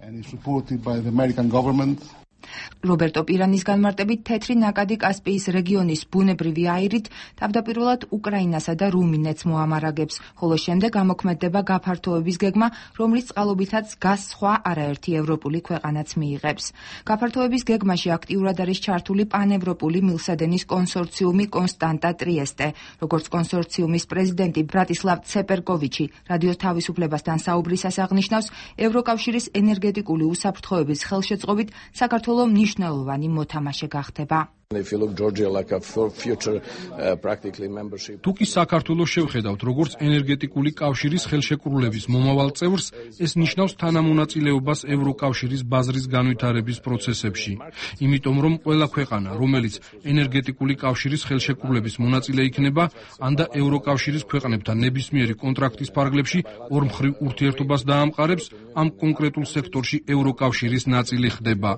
რობერტო პირანის განმარტებით თეთრი ნაკადი კასპიის რეგიონის ბუნებრივი აირით თავდაპირველად უკრაინასა და რუმინეთს მოამარაგებს, ხოლო შემდეგ ამოქმედდება გაფართოების გეგმა, რომლის წყალობითაც გას სხვა არაერთი ევროპული ქვეყანაც მიიღებს. გაფართოების გეგმაში აქტიურად არის ჩართული პანევროპული მილსადენის კონსორციუმი კონსტანტა ტრიესტე. როგორც კონსორციუმის პრეზიდენტი ბრატისლავ ცეპერკოვიჩი რადიო თავისუფლებასთან საუბრისას აღნიშნავს, ევროკავშირის ენერგეტიკული უსაფრთხოების ხელშეწყობით საქართველოს მნიშვნელოვანი მოთამაშე გახდება. თუკი საქართველოს შევხედავთ როგორც ენერგეტიკული კავშირის ხელშეკრულების მომავალ წევრს, ეს ნიშნავს თანამონაწილეობას ევროკავშირის ბაზრის განვითარების პროცესებში. იმიტომ რომ ყველა ქვეყანა, რომელიც ენერგეტიკული კავშირის ხელშეკრულების მონაწილე იქნება, ან და ევროკავშირის ქვეყნებთან ნებისმიერი კონტრაქტის ფარგლებში ორმხრივ ურთიერთობას დაამყარებს, ამ კონკრეტულ სექტორში ევროკავშირის ნაწილი ხდება.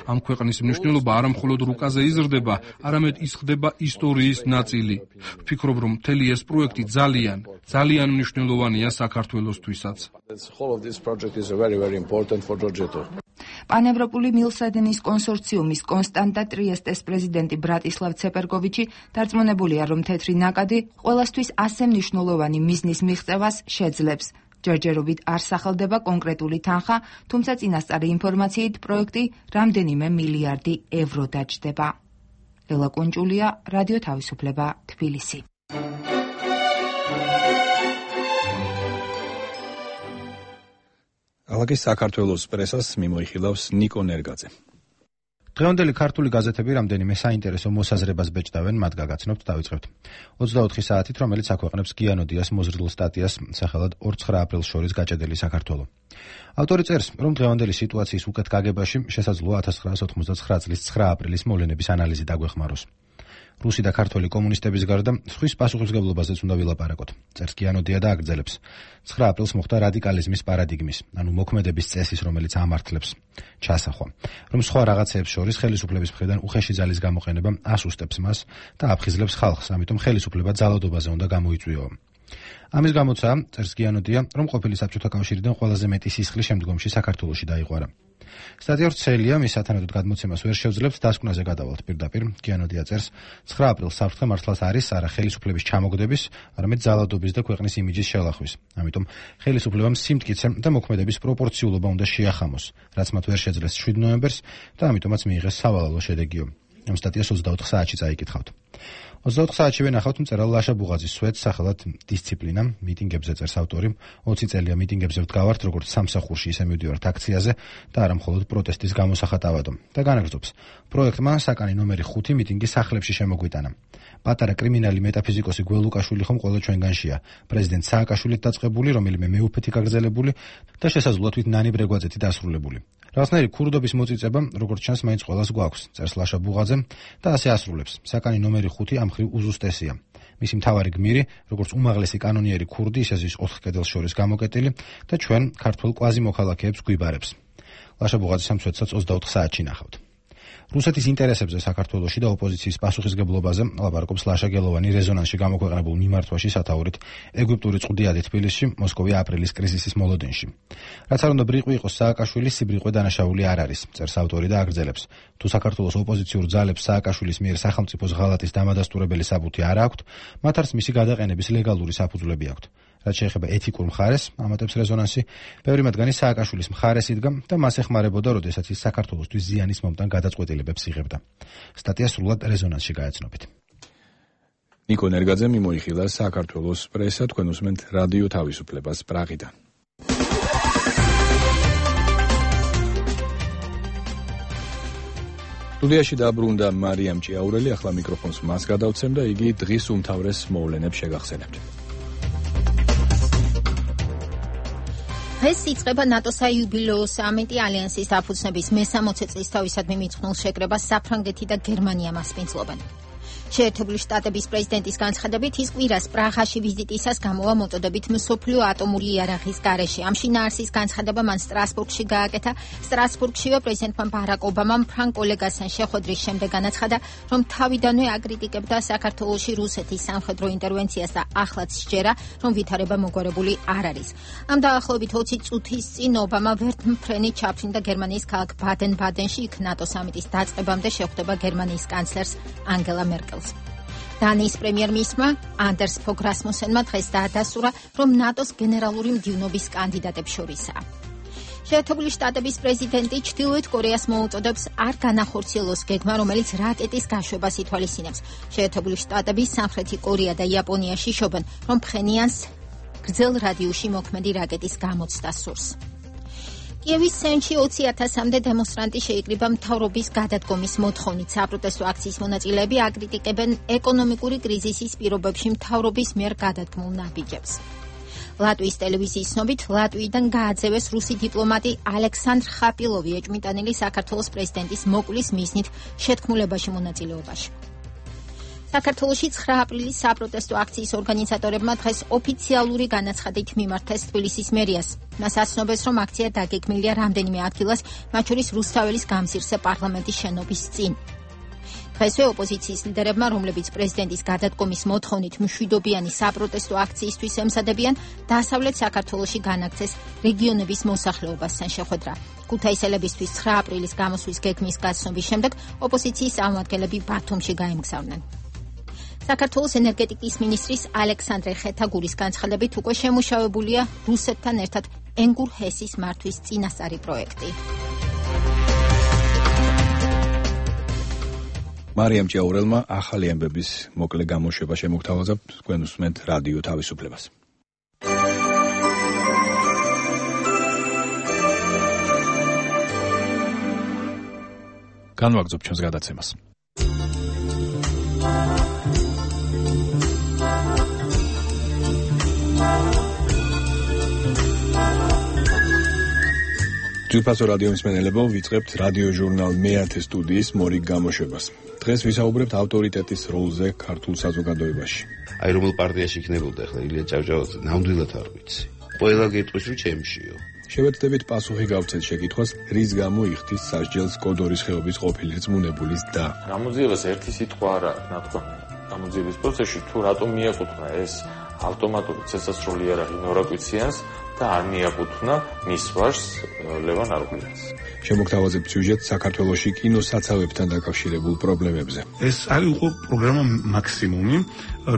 ამ ქვეყნის მნიშვნელობა არა მხოლოდ რუკაზე იზრდება, არამედ ის ხდება ისტორიის ნაწილი. ვფიქრობ, რომ მთელი ეს პროექტი ძალიან მნიშვნელოვანია საქართველოსთვისაც. პანევროპული მილსადენის კონსორციუმის კონსტანტა ტრიესტეს პრეზიდენტი ბრატისლავ ცეპერკოვიჩი დარწმუნებულია, რომ თეთრი ნაკადი ყველასთვის ასე მნიშვნელოვანი მიზნის მიღწევას შეძლებს. ჯერჯერობით არ სახელდება კონკრეტული თანხა, თუმცა წინასწარი ინფორმაციით პროექტი რამდენიმე მილიარდი ევრო დაჯდება. ლელა კუნჭულია, რადიო თავისუფლება, თბილისი. ალაგის საქართველოს პრესას მიმოიხილავს ნიკო ნერგაძე. დღევანდელი ქართული გაზეთები რამდენიმე საინტერესო მოსაზრებას ბეჭდავენ, მათ გაგაცნობთ, დავიწყებთ. 24 საათით, რომელიც აქვეყნებს გიანოდიას მოზრდილ სტატიას სახელად 2-9 აპრილს შორის გაჭედელი საქართველო. ავტორი წერს, რომ დღევანდელი სიტუაციის უკეთ გაგებაში შესაძლოა 1989 წლის 9 აპრილის მოვლენების ანალიზი დაგვეხმაროს. რუსი და ქართველი კომუნისტების გარდა სხვის პასუხისმგებლობაზეც უნდა ვილაპარაკოთ. წერს გიანოდია და აგრძელებს. 9 აპრილს მოხდა რადიკალიზმის პარადიგმის, ანუ მოქმედების წესის, რომელიც ამართლებს ჩასახვა, რომ სხვა რაღაცეებს შორის ხელისუფლების მხრიდან უხეში ძალის გამოყენება ასუსტებს მას და აფხიზლებს ხალხს, ამიტომ ხელისუფლება ძალადობაზე უნდა გამოიწვიო. ამის გამოცაა, წერს გიანოდია, რომ ყოფილი საბჭოთა კავშირიდან ყველაზე მეტი სისხლი შემდგომში საქართველოში დაიყვარა. სტატია ვრცელია, მის სათანადოდ გადმოცემას ვერ შევძლებთ, დასკვნაზე გადავალთ პირდაპირ. გიანოდია წერს, 9 აპრილს საფრთხე მართლაც არის არა ხელისუფლების ჩამოგდების, არამედ ძალადობის და ქვეყნის იმიჯის შელახვის. ამიტომ ხელისუფლებამ სიმტკიცე და მოქმედების პროპორციულობა უნდა შეახამოს, რაც მათ ვერ შეძლეს 7 ნოემბერს და ამიტომაც მიიღეს სავალალო შედეგიო. ამ სტატიას 24 საათში წაიკითხავთ. 24 საათშივე ნახავთ მწერალ ლაშა ბუღაძის სვეტს სახელად დისციპლინა, მიტინგებზე წერს ავტორი. 20 წელია მიტინგებზე ვდგავართ, როგორც სამსახურში, ისე მივდივართ აქციაზე და არა მხოლოდ პროტესტის გამოსახატავადო. და განაგრძობს. პროექტმა საკანი ნომერი 5 მიტინგი სახლებში შემოგვიტანა. პატარა კრიმინალი მეტაფიზიკოსი გველუკაშვილი ხომ ყველა ჩვენგანშია. პრეზიდენტ სააკაშვილით დაწყებული, რომელიმე მეუფეთი გაგრძელებული და შესაძლოა თვით ნანი ბრეგვაძეთი დასრულებული. რაღაცნაირი ქურდობის მოწიწება, როგორც ჩანს, მაინც ყველას გვაქვს, წერს ლაშა ბუღაძე და ასე ასრულებს. საკანი ნომერი 5 ამ მხრივ უზუსტესია. მისი მთავარი გმირი, როგორც უმაღლესი კანონიერი ქურდი, ისე ზის 4 კედელს შორის გამოკეტილი და ჩვენ ქართველ კვაზი მოქალაქეებს გვიბარებს. ლაშა ბუღაძის ამ სვეტსაც 24 საათში ნახავთ. რუსეთის ინტერესებზე საქართველოში და ოპოზიციის პასუხისმგებლობაზე ლაპარაკობს ლაშა გელოვანი რეზონანსში გამოქვეყნებულ მიმართვაში სათაურით ეგვიპტური წვდიადი თბილისში, მოსკოვი აპრილის კრიზისის მოლოდინში. რაც არ უნდა ბრიყვი იყოს სააკაშვილის, სიბრიყვე დანაშაული არ არის, წერს ავტორი და აგრძელებს. თუ საქართველოს ოპოზიციურ ძალებს სააკაშვილის მიერ სახელმწიფოს ღალატის დამადასტურებელი საბუთი არ აქვთ, მათ არც მისი გადაყენების ლეგალური საფუძვლები აქვთ. რაც შეეხება ეთიკურ მხარეს, ამატებს რეზონანსი, ბევრი მათგანი სააკაშვილის მხარეს იდგა და მას ეხმარებოდა, როდესაც ის საქართველოსთვის ზიანის მომტან გადაწყვეტილებებს იღებდა. სტატია სრულად რეზონანსში გაეცნობით. ნიკო ნერგაძე მიმოიხილა საქართველოს პრესა, თქვენ უსმენთ რადიო თავისუფლებას პრაღიდან. სტუდიაში დაბრუნდა მარიამ ჭიაურელი, ახლა მიკროფონს მას გადავცემ და იგი დღის უმთავრეს მოვლენებს შეგახსენებთ. დღეს იწყება ნატოს საიუბილეო სამიტი. ალიანსის დაფუძნების მე-60 წლისთავისადმი მიძღვნილ შეკრებას საფრანგეთი და გერმანია მასპინძლობენ. შეერთებული შტატების პრეზიდენტის განცხადებით, ის კვირას პრაღაში ვიზიტისას გამოვა მოწოდებით მსოფლიო ატომური იარაღის გარეშე. ამ შინაარსის განცხადება მან სტრასბურგში გააკეთა. სტრასბურგშივე პრეზიდენტმა ბარაკ ობამამ ფრანკ ოლეგასთან შეხვედრის შემდეგ განაცხადა, რომ თავიდანვე აკრიტიკებდა საქართველოში რუსეთის სამხედრო ინტერვენციას და ახლაც სჯერა, რომ ვითარება მოგვარებული არ არის. ამ დაახლოებით 20 წუთის წინ ობამა ვერტმფრენი ჩაფრინდა გერმანიის ქალაქ ბადენ-ბადენში, იქ ნატო სამიტის დაწყებამდე შეხვდება გერმანიის კანცლერს ანგელა მერკელს. დანიის პრემიერ-მინისტრმა ანდერს ფოგ რასმუსენმა დღეს დაადასტურა, რომ ნატოს გენერალური მდივნობის კანდიდატებს შორისაა. შეერთებული შტატების პრეზიდენტი ჩრდილოეთ კორეას მოუწოდებს არ განახორციელოს გეგმა, რომელიც რაკეტის გაშვებას ითვალისწინებს. შეერთებული შტატები, სამხრეთი კორეა და იაპონია შიშობენ, რომ ფხენიანს გრძელ რადიუსში მოქმედი რაკეტის გამოცდა სურს. კიევის ცენტრში 20,000-მდე დემონსტრანტი შეიკრიბა მთავრობის გადადგომის მოთხოვნით. საპროტესტო აქციის მონაწილეები აკრიტიკებენ ეკონომიკური კრიზისის პირობებში მთავრობის მიერ გადადგმულ ნაბიჯებს. ლატვიის ტელევიზიის ცნობით, ლატვიიდან გააძევეს რუსი დიპლომატი ალექსანდრ ხაპილოვი, ეჭვმიტანილი საქართველოს პრეზიდენტის მოკვლის მიზნით შეთქმულებაში მონაწილეობაში. საქართველოში 9 აპრილის საპროტესტო აქციის ორგანიზატორებმა დღეს ოფიციალური განაცხადით მიმართეს თბილისის მერიას. მას აცნობს, რომ აქცია დაგეგმილია რამდენიმე ადგილას, მათ შორის რუსთაველის გამზირზე პარლამენტის შენობის წინ. დღესვე ოპოზიციის ლიდერებმა, რომლებიც პრეზიდენტის გადადგომის მოთხოვნით მშვიდობიანი საპროტესტო აქციისთვის ემზადებიან, დასავლეთ საქართველოში განაგრძეს რეგიონების მოსახლეობასთან შეხვედრა. ქუთაისელებისთვის 9 აპრილის გამოსვლის გეგმის გაცნობის შემდეგ ოპოზიციის წარმომადგენლები ბათუმში გაემგზავრნენ. საქართველოს ენერგეტიკის მინისტრის ალექსანდრე ხეთაგურის განცხადებით უკვე შემუშავებულია რუსეთთან ერთად ენგურ ჰესის მართვის წინასწარი პროექტი. მარიამ ჭიაურელმა ახალი ამბების მოკლე გამოშვება შემოგთავაზა, თქვენ უსმენთ რადიო თავისუფლებას. განვაგრძობ ჩვენს გადაცემას. ჯგუფასო რადიო მსმენელებო, ვიწყებთ რადიო ჟურნალ მე-10 სტუდიის მორიგ გამოშვებას. დღეს ვისაუბრებთ ავტორიტეტის როლზე ქართულ საზოგადოებაში. აი რომელ პარტიაში იქნებოდა ახლა ილია ჭავჭავაძე, ნამდვილად არ ვიცი. ყველა გეტყვის რომ ჩემშიო. შევეცდებით პასუხი გავცეთ შეკითხვას, რის გამო იხდის სასჯელს კოდორის ხეობის ყოფილი რწმუნებულის და. გამოძიებას ერთი სიტყვა არ აქვს ნათქვამი. გამოძიების პროცესში თუ რატომ მიაკუთვნა ეს ავტომატური ცეცხლსროლი იარაღი ნორა კვიციანს და არ მიაკუთვნა მის ვაჟს ლევან არღუნიას. შემოგთავაზებთ სიუჟეტს საქართველოში კინოსაცავებთან დაკავშირებულ პრობლემებზე. ეს არის უკვე პროგრამა მაქსიმუმი,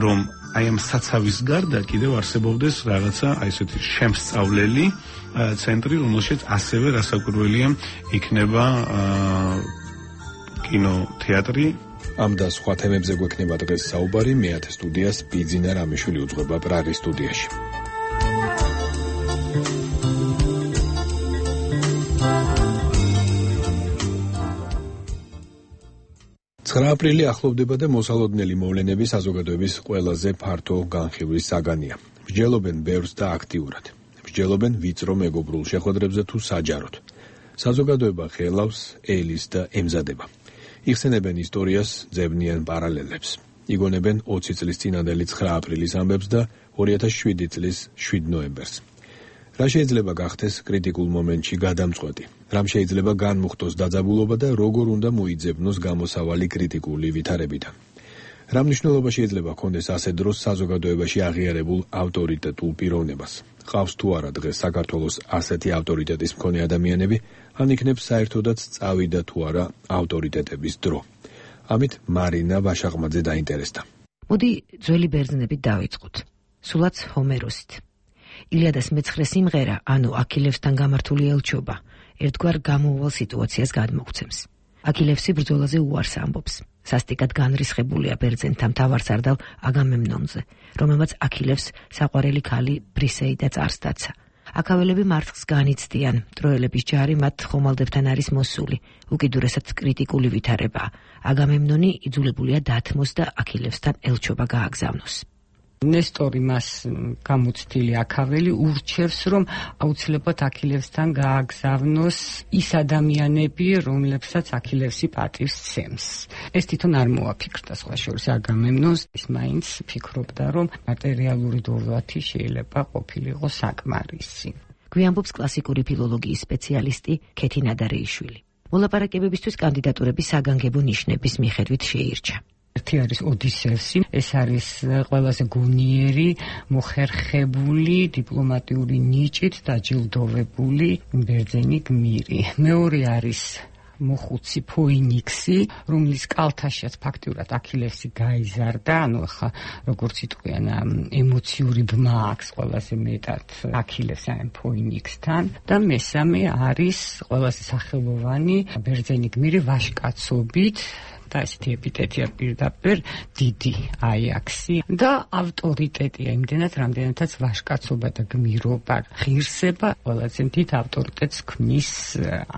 რომ აი ამ საცავის გარდა კიდევ არსებობდეს რაღაცა აი ესეთი შემსწავლელი ცენტრი, რომელშიც ასევე რასაკვირველია იქნება კინოთეატრი. ამ და სხვა თემებზე გვექნება დღეს საუბარი, მე-10 სტუდიას ბიძინა რამიშვილი უძღვება პრარის სტუდიაში. 9 აპრილი ახლოვდება და მოსალოდნელი მოვლენები საზოგადოების ყველაზე ფართო განხილვის საგანია. მსჯელობენ ბევრს და აქტიურად. მსჯელობენ ვიწრო მეგობრულ შეხვედრებზე თუ საჯაროდ. საზოგადოება ხელავს, ელის და ემზადება. იხსენებენ ისტორიას, ძებნიან პარალელებს. იგონებენ 20 წლის წინანდელი 9 აპრილის ამბებს და 2007 წლის 7 ნოემბერს. რა შეიძლება გახდეს კრიტიკულ მომენტში გადამწყვეტი? რამ შეიძლება განმუხტოს დაძაბულობა და როგორ უნდა მოიძებნოს გამოსავალი კრიტიკული ვითარებიდან? რა მნიშვნელობა შეიძლება ჰქონდეს ასეთ დროს საზოგადოებაში აღიარებულ ავტორიტეტულ პიროვნებას? ყავს თუ არა დღეს საქართველოს ასეთი ავტორიტეტის მქონე ადამიანები, ან იქნებს საერთოდაც წავიდა თუ არა ავტორიტეტების დრო? ამით მარინა ვაშაღმაძე დაინტერესდა. მოდი ძველი ბერძნებით დავიწყოთ. სულაც ჰომეროსით. ილიადას მეცხრე სიმღერა, ანუ აქილევსთან გამართული ელჩობა, ერთგვარ გამოუვალ სიტუაციას გადმოგვცემს. აქილევსი ბრძოლაზე უარს ამბობს. სასტიკად განრისხებულია ბერძენთა მთავარსარდალ აგამემნონზე, რომელმაც აქილევს საყვარელი ქალი ბრისეიდა წარსდაცა. აქაველები მარცხს განიცდიან, ტროელების ჯარი მათ ხომალდებთან არის მოსული, უკიდურესად კრიტიკული ვითარებაა. აგამემნონი იძულებულია დათმოს და აქილევსთან ელჩობა გააგზავნოს. ნესტორი მას გამოცდილი აქაველი ურჩევს, რომ აუცილებლად აქილევსთან გააგზავნოს ის ადამიანები, რომლებსაც აქილევსი პატივს სცემს. ეს თვითონ არ მოაფიქრდა სხვა შორის აგამემნონს, ის მაინც ფიქრობდა, რომ მატერიალური დოლათი შეიძლება ყოფილიყო საკმარისი. გვიამბობს კლასიკური ფილოლოგიის სპეციალისტი ქეთი ნადარეიშვილი. მოლაპარაკებებისთვის კანდიდატურები საგანგებო ნიშნების მიხედვით შეირჩა. ერთი არის ოდისევსი, ეს არის ყველაზე გონიერი, მოხერხებული, დიპლომატიური ნიჭით დაჯილდოვებული ბერძენი გმირი. მეორე არის მოხუცი ფოინიქსი, რომლის კალთაშიაც ფაქტიურად აქილევსი გაიზარდა, ანუ ახლა როგორც იტყვიან, ემოციური ბმა აქვს ყველაზე მეტად აქილევს ამ ფოინიქსთან და მესამე არის ყველაზე სახელოვანი ბერძენი გმირი ვაჟკაცობით და ესეთი ეპიტეტია პირდაპირ დიდი აიაქსი და ავტორიტეტია იმდენად, რამდენადაც ვაჟკაცობა და გმირობა ღირსება ყველაზე დიდ ავტორიტეტს ქმნის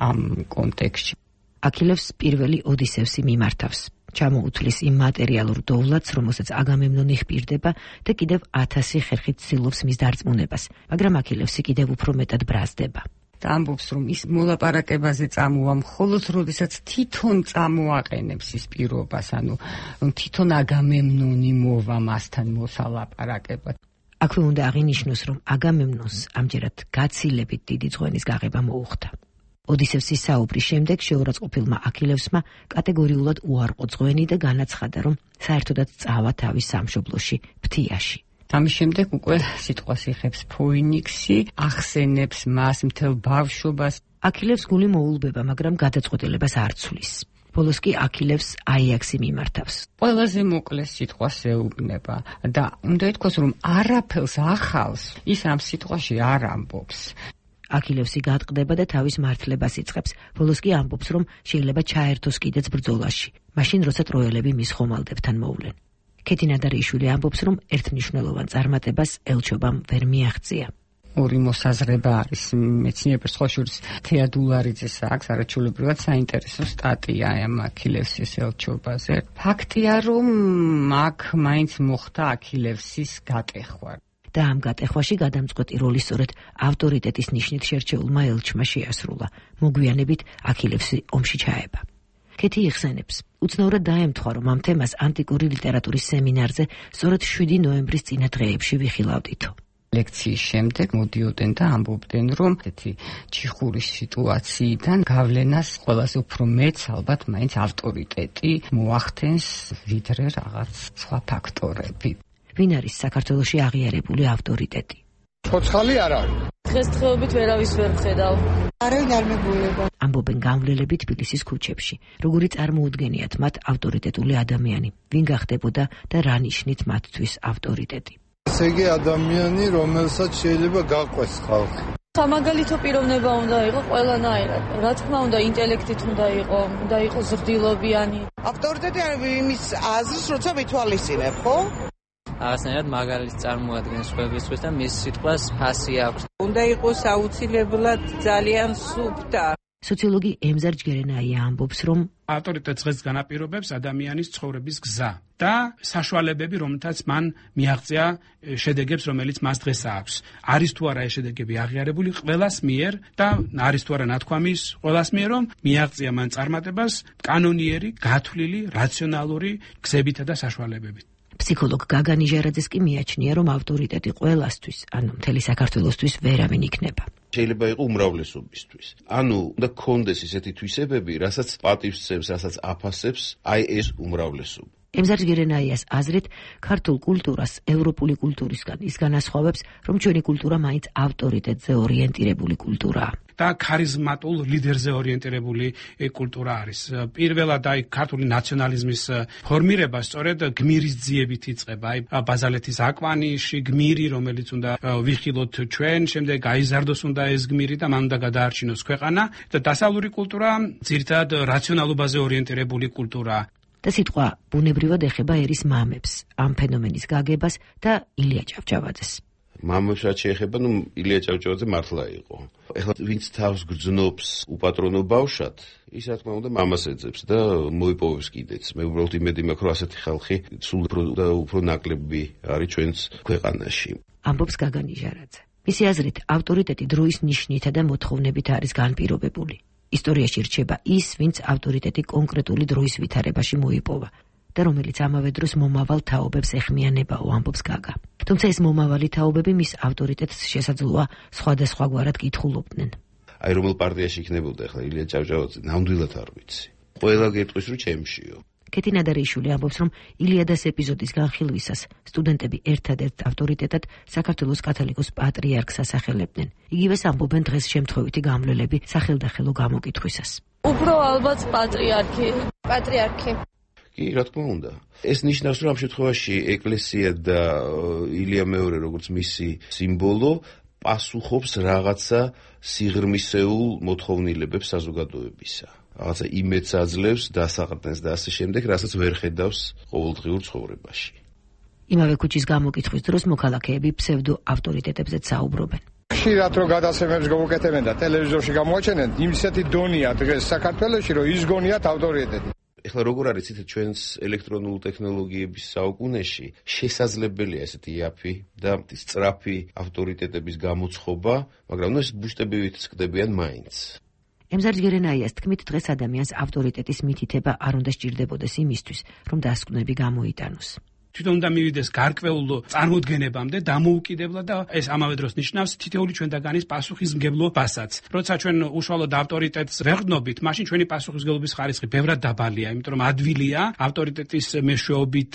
ამ კონტექსტში. აქილევს პირველი ოდისევსი მიმართავს. ჩამოუთვლის იმ მატერიალურ დოვლათს, რომელსაც აგამემნონი ხპირდება და კიდევ 1000 ხერხით ცდილობს მის დარწმუნებას, მაგრამ აქილევსი კიდევ უფრო მეტად ბრაზდება. ამბობს, რომ ის მოლაპარაკებაზე წამოვა მხოლოდ როდესაც თვითონ წამოაყენებს ის პირობას, ანუ რომ თვითონ აგამემნონი მოვა მასთან მოსალაპარაკებლად. აქვე უნდა აღინიშნოს, რომ აგამემნონს ამჯერად გაცილებით დიდი ძღვენის გაღება მოუხდა. ოდისევსის საუბრის შემდეგ შეურაცხყოფილმა აქილევსმა კატეგორიულად უარყო ძღვენი და განაცხადა, რომ საერთოდაც წავა თავის სამშობლოში, ფთიაში. ამის შემდეგ უკვე სიტყვას იხებს ფოინიქსი, ახსენებს მას მთელ ბავშვობას. აქილევს გული მოულბება, მაგრამ გადაწყვეტილებას არ ცვლის. ბოლოს კი აქილევს აიაქსი მიმართავს. ყველაზე მოკლე სიტყვას ეუბნება და უნდა ითქვას, რომ არაფერს ახალს ის ამ სიტყვაში არ ამბობს. აქილევსი გატყდება და თავის მართლებას იწყებს. ბოლოს კი ამბობს, რომ შეიძლება ჩაერთოს კიდეც ბრძოლაში, მაშინ როცა ტროელები მის ხომალდებთან მოვლენ. ქეთი ნადარეიშვილი ამბობს, რომ ერთმნიშვნელოვან წარმატებას ელჩობამ ვერ მიაღწია. ორი მოსაზრება არის მეცნიერებს, ხო შორის თეადულარიძეს აქვს არაჩვეულებრივად საინტერესო სტატია ამ აქილევსის ელჩობაზე. ფაქტია, რომ აქ მაინც მოხდა აქილევსის გატეხვა. და ამ გატეხვაში გადამწყვეტი როლი სწორედ ავტორიტეტის ნიშნით შერჩეულმა ელჩმა შეასრულა. მოგვიანებით აქილევსი ომში ჩაება. კეთი იხსენებს, უცნაურად დაემთხვა, რომ ამ თემას ანტიკური ლიტერატურის სემინარზე სწორედ 7 ნოემბრის წინა დღეებში ვიხილავდითო. ლექციის შემდეგ მოდიოდნენ და ამბობდნენ, რომ ესეთი ჩიხურის სიტუაციიდან გავლენას ყველაზე უფრო მეც ალბათ მაინც ავტორიტეტი მოახდენს, ვიდრე რაღაც სხვა ფაქტორები. ვინ არის საქართველოში აღიარებული ავტორიტეტი? ცოცხალი არ არის. დღესდღეობით ვერავის ვერ ვხედავ. არავინ არ მეგულება. ამბობენ გამვლელები თბილისის ქუჩებში, როგორი წარმოუდგენიათ მათ ავტორიტეტული ადამიანი, ვინ გახდებოდა და რა ნიშნით მათთვის ავტორიტეტი. ესე იგი ადამიანი, რომელსაც შეიძლება გაყვეს ხალხი. სამაგალითო პიროვნება უნდა იყოს ყველანაირად. რა თქმა უნდა, ინტელექტით უნდა იყოს ზრდილობიანი. ავტორიტეტი არის იმის აზრს, როცა ვითვალისწინებ, ხო? აღსანიშნავად მაგალითს წარმოადგენს სხვებისთვის და მის სიტყვას ფასი აქვს. უნდა იყოს აუცილებლად ძალიან სუფთა. სოციოლოგი ემზარ ჯგერენაია ამბობს, რომ ავტორიტეტს დღეს განაპირობებს ადამიანის ცხოვრების გზა და საშუალებები, რომელთაც მან მიაღწია შედეგებს, რომელიც მას დღეს აქვს. არის თუ არა ეს შედეგები აღიარებული ყველას მიერ და არის თუ არა ნათქვამის ყველას მიერ, რომ მიაღწია მან წარმატებას კანონიერი, გათვლილი, რაციონალური გზებითა და საშუალებებით. ფსიქოლოგ გაგა ნიჟარაძეს კი მიაჩნია, რომ ავტორიტეტი ყველასთვის, ანუ მთელი საქართველოსთვის ვერავინ იქნება. შეიძლება იყოს უმრავლესობისთვის. ანუ უნდა გქონდეს ისეთი თვისებები, რასაც პატივსცემს, რასაც აფასებს, აი ეს უმრავლესობა. ემზარ ჯგერენაიას აზრით, ქართულ კულტურას ევროპული კულტურისგან ის განასხვავებს, რომ ჩვენი კულტურა მაინც ავტორიტეტზე ორიენტირებული კულტურაა. და ქარიზმატულ ლიდერზე ორიენტირებული კულტურა არის. პირველად აი ქართული ნაციონალიზმის ფორმირება სწორედ გმირის ძიებით იწყება. აი ბაზალეთის აკვანიში გმირი, რომელიც უნდა ვიხილოთ ჩვენ, შემდეგ გაიზარდოს უნდა ეს გმირი და მან უნდა გადაარჩინოს ქვეყანა და დასავლური კულტურა ძირითადად რაციონალობაზე ორიენტირებული კულტურაა. და სიტყვა ბუნებრივად ეხება ერის მამებს, ამ ფენომენის გაგებას და ილია ჭავჭავაძეს. მამებს რაც შეეხება, ილია ჭავჭავაძე მართლა იყო. ეხლა ვინც თავს გრძნობს უპატრონო ბავშვად, ის რა თქმა უნდა მამას ეძებს და მოიპოვებს კიდეც. მე უბრალოდ იმედი მაქვს, რომ ასეთი ხალხი სულ უფრო ნაკლები არის ჩვენს ქვეყანაში. ამბობს გაგა ნიჟარაძე. მისი აზრით, ავტორიტეტი დროის ნიშნითა და მოთხოვნებით არის განპირობებული. ისტორიაში რჩება ის, ვინც ავტორიტეტი კონკრეტული დროის ვითარებაში მოიპოვა და რომელიც ამავე დროს მომავალ თაობებს ეხმიანებაო, ამბობს გაგა. თუმცა ეს მომავალი თაობები მის ავტორიტეტს შესაძლოა სხვადასხვაგვარად კითხულობდნენ. აი რომელ პარტიაში იქნებოდა ახლა ილია ჭავჭავაძე, ნამდვილად არ ვიცი. ყველა გეტყვის, რომ ჩემშიო. კეთი ნადარიშვილი ამბობს, რომ ილიადის ეპიზოდის განხილვისას სტუდენტები ერთადერთ ავტორიტეტად საქართველოს კათოლიკოს პატრიარქს ასახელებდნენ. იგივეს ამბობენ დღეს შემთხვევითი გამვლელები სახელდახელო გამოკითხვისას. უფრო ალბათ პატრიარქი. კი, რა თქმა უნდა. ეს ნიშნავს, რომ ამ შემთხვევაში ეკლესია და ილია მეორე, როგორც მისი სიმბოლო, პასუხობს რაღაცა სიღრმისეულ მოთხოვნილებებს საზოგადოებისა. რაღაცა იმედს აძლევს, დასაყრდენს და ასე შემდეგ, რასაც ვერ ხედავს ყოველდღიურ ცხოვრებაში. იმავე ქუჩის გამოკითხვის დროს მოქალაქეები ფსევდო ავტორიტეტებზეც საუბრობენ. ხშირად რო გადაცემებს გაუკეთებენ და ტელევიზორში გამოაჩენენ, ისეთი დონია დღეს საქართველოში, რომ ის გონიათ ავტორიტეტი. ეხლა როგორ არის ცით ჩვენს ელექტრონულ ტექნოლოგიების საუკუნეში შესაძლებელია ესეთი იაფი და სწრაფი ავტორიტეტების გამოცხობა, მაგრამ ეს ბუშტებივით ხდებიან მაინც. ემზარ ჯგერენაიას თქმით, დღეს ადამიანს ავტორიტეტის მითითება არ უნდა სჭირდებოდეს იმისთვის, რომ დასკვნები გამოიტანოს. თვითონ უნდა მივიდეს გარკვეულ წარმოდგენებამდე დამოუკიდებლად და ეს ამავე დროს ნიშნავს თითოეული ჩვენთაგანის პასუხისმგებლობასაც. როცა ჩვენ უშუალოდ ავტორიტეტს ვეღდნობით, მაშინ ჩვენი პასუხისმგებლობის ხარისხი ბევრად დაბალია, იმიტომ რომ ადვილია ავტორიტეტის მეშვეობით,